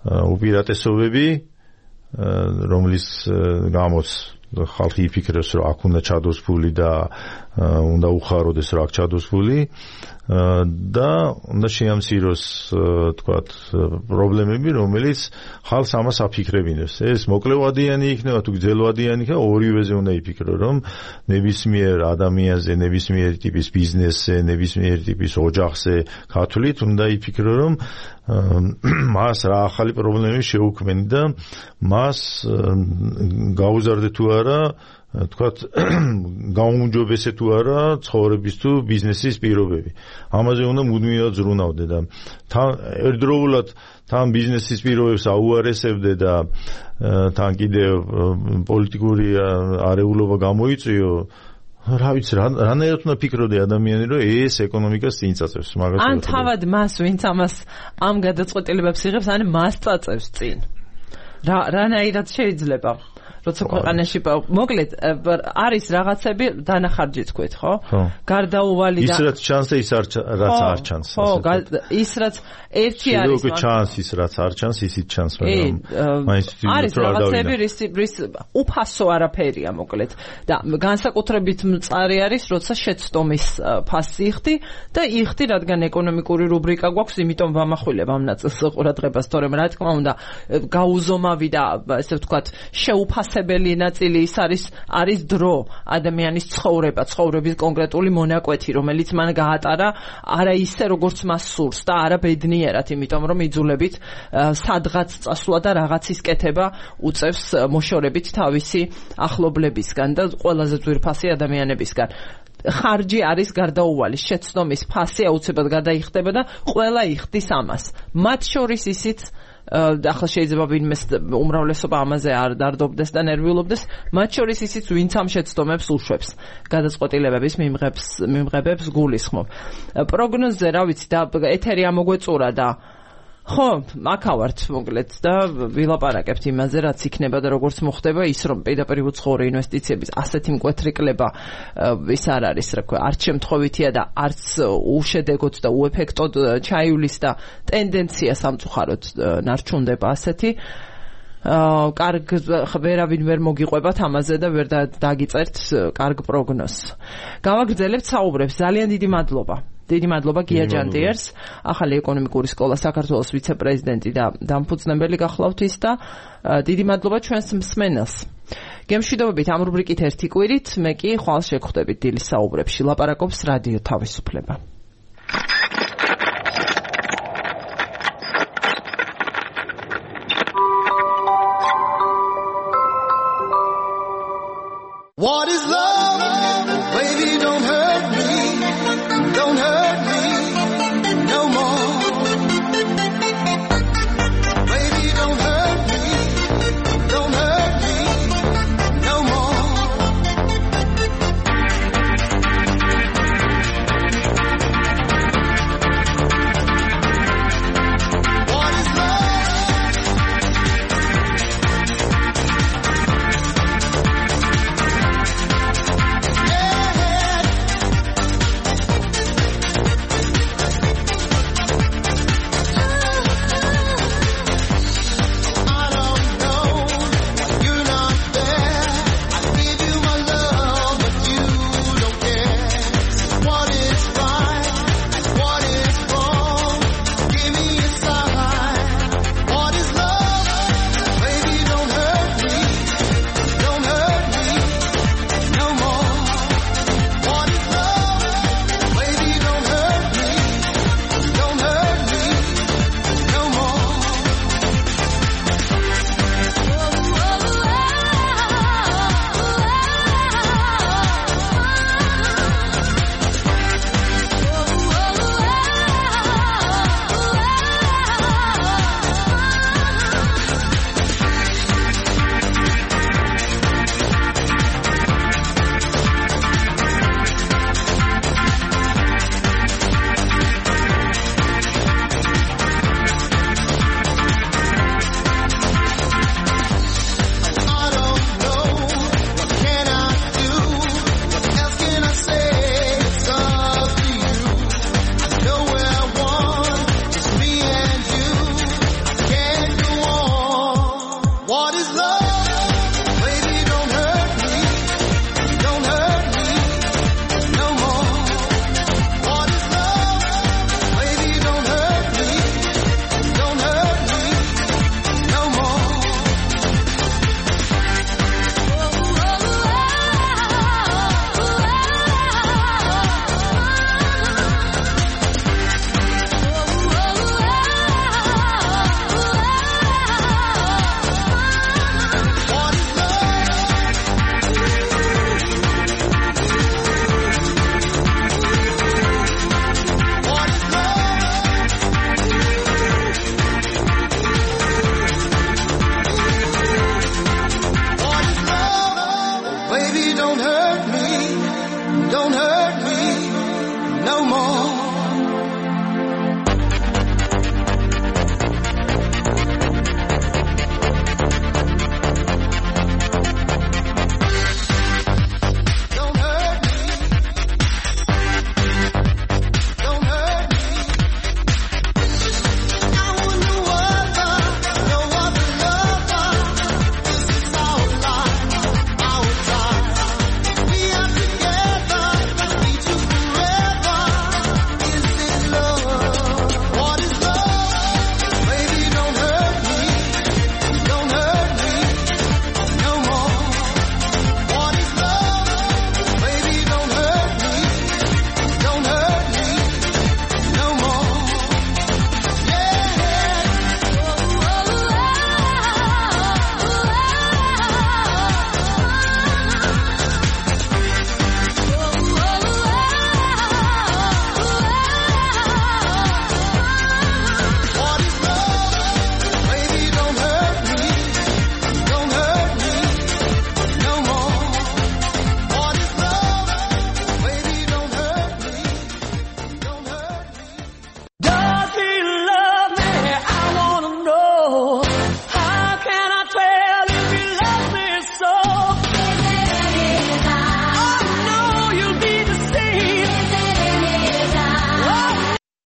უპირატესობები, რომლის გამოც ხალხი იფიქრებს, რომ აქ უნდა ჩადოს ფული და უნდა უხაროდეს, რომ აქ ჩადოს ფული და უნდა შეამციროს თქვათ პრობლემები, რომელიც ხალხს ამას აფიქრებინებს. ეს მოკლევადიანი იქნება თუ გრძელვადიანი იქნება, ორივეზე უნდა იფიქრო, რომ ნებისმიერ ადამიანზე, ნებისმიერ ტიპის ბიზნესზე, ნებისმიერ ტიპის ოჯახზე ქართულით უნდა იფიქრო, რომ მას რა ახალი პრობლემები შეუქმენი და მას გაუზარდე თუ არა, თქვათ გაუმჯობესე თუ არა ცხოვრების თუ ბიზნესის პირობები. ამაზე უნდა მუდმივად ზრუნავდე და თან ერთდროულად თან ბიზნესის პირობებს აუარესებდე და თან კიდე პოლიტიკური არეულობა გამოიწვიო. რა ვიცი, რანაირად უნდა ფიქრობდე ადამიანი, რომ ეს ეკონომიკას წინ წაწევს, მაგას ან თავად მას, ვინც ამას ამ გადაწყვეტილებებს იღებს, ან მას წაწევს წინ. რა რანაირად შეიძლება? როცა ქვეყანაში მოკლედ არის რაღაცები დანახარჯი თქვით, ხო? გარდაუვალი და ის რაც ჩანს ის რაც არ ჩანს. ხო, ის რაც ერთი არის შეიძლება ჩანს ის რაც არ ჩანს ისიც ჩანს, მაგრამ მაინც არის რაღაცები რის უფასო არაფერია მოკლედ და განსაკუთრებით მწარი არის როცა შეცდომის ფასი იხდი და იხდი რადგან ეკონომიკური რუბრიკა გვაქვს, იმიტომ ვამახვილებ ამ ნაწილს ყურადღებას, თორემ რა თქმა უნდა გაუზომავი და ესე ვთქვათ შეუფასებელი ნაწილი ის არის არის დრო, ადამიანის ცხოვრება, ცხოვრების კონკრეტული მონაკვეთი, რომელიც მან გაატარა არა ისე როგორც მას სურს და არა ბედნიერად, იმიტომ რომ იძულებით სადღაც წასვლა და რაღაცის კეთება უწევს მოშორებით თავისი ახლობლებისგან და ყველაზე ძვირფასი ადამიანებისგან. ხარჯი არის გარდაუვალი, შეცდომის ფასი აუცილებლად გადაიხდება და ყველა იხდის ამას. მათ შორის ისიც ახლა შეიძლება ვინმეს უმრავლესობა ამაზე არ დარდობდეს და ნერვიულობდეს, მათ შორის ისიც ვინც ამ შეცდომებს უშვებს, გადაწყვეტილებების მიმღებს მიმღებებს გულისხმობ. პროგნოზზე რა ვიცი და ეთერი ამოგვეწურა და ხო, მაქავართ მოკლედ და ვილაპარაკებთ იმაზე, რაც იქნება და როგორც მოხდება ის, რომ პირდაპირ უცხოური ინვესტიციების ასეთი მკვეთრი კლება ის არ არის, რა ქვია, არც შემთხვევითია და არც უშედეგოდ და უეფექტოდ ჩაივლის და ტენდენცია სამწუხაროდ ნარჩუნდება ასეთი. კარგ ვერავინ ვერ მოგიყვებათ ამაზე და ვერ დაგიწერთ კარგ პროგნოზს. გავაგრძელებთ საუბრებს. ძალიან დიდი მადლობა. დიდი მადლობა გია ჯანდიერს, ახალი ეკონომიკური სკოლა საქართველოს ვიცე-პრეზიდენტი და დამფუძნებელი გახლავთ ის და დიდი მადლობა ჩვენს მსმენელს. გემშვიდობებით ამ რუბრიკით ერთი კვირით, მე კი ხვალ შეგხვდებით დილის საუბრებში. ლაპარაკობს რადიო თავისუფლება. What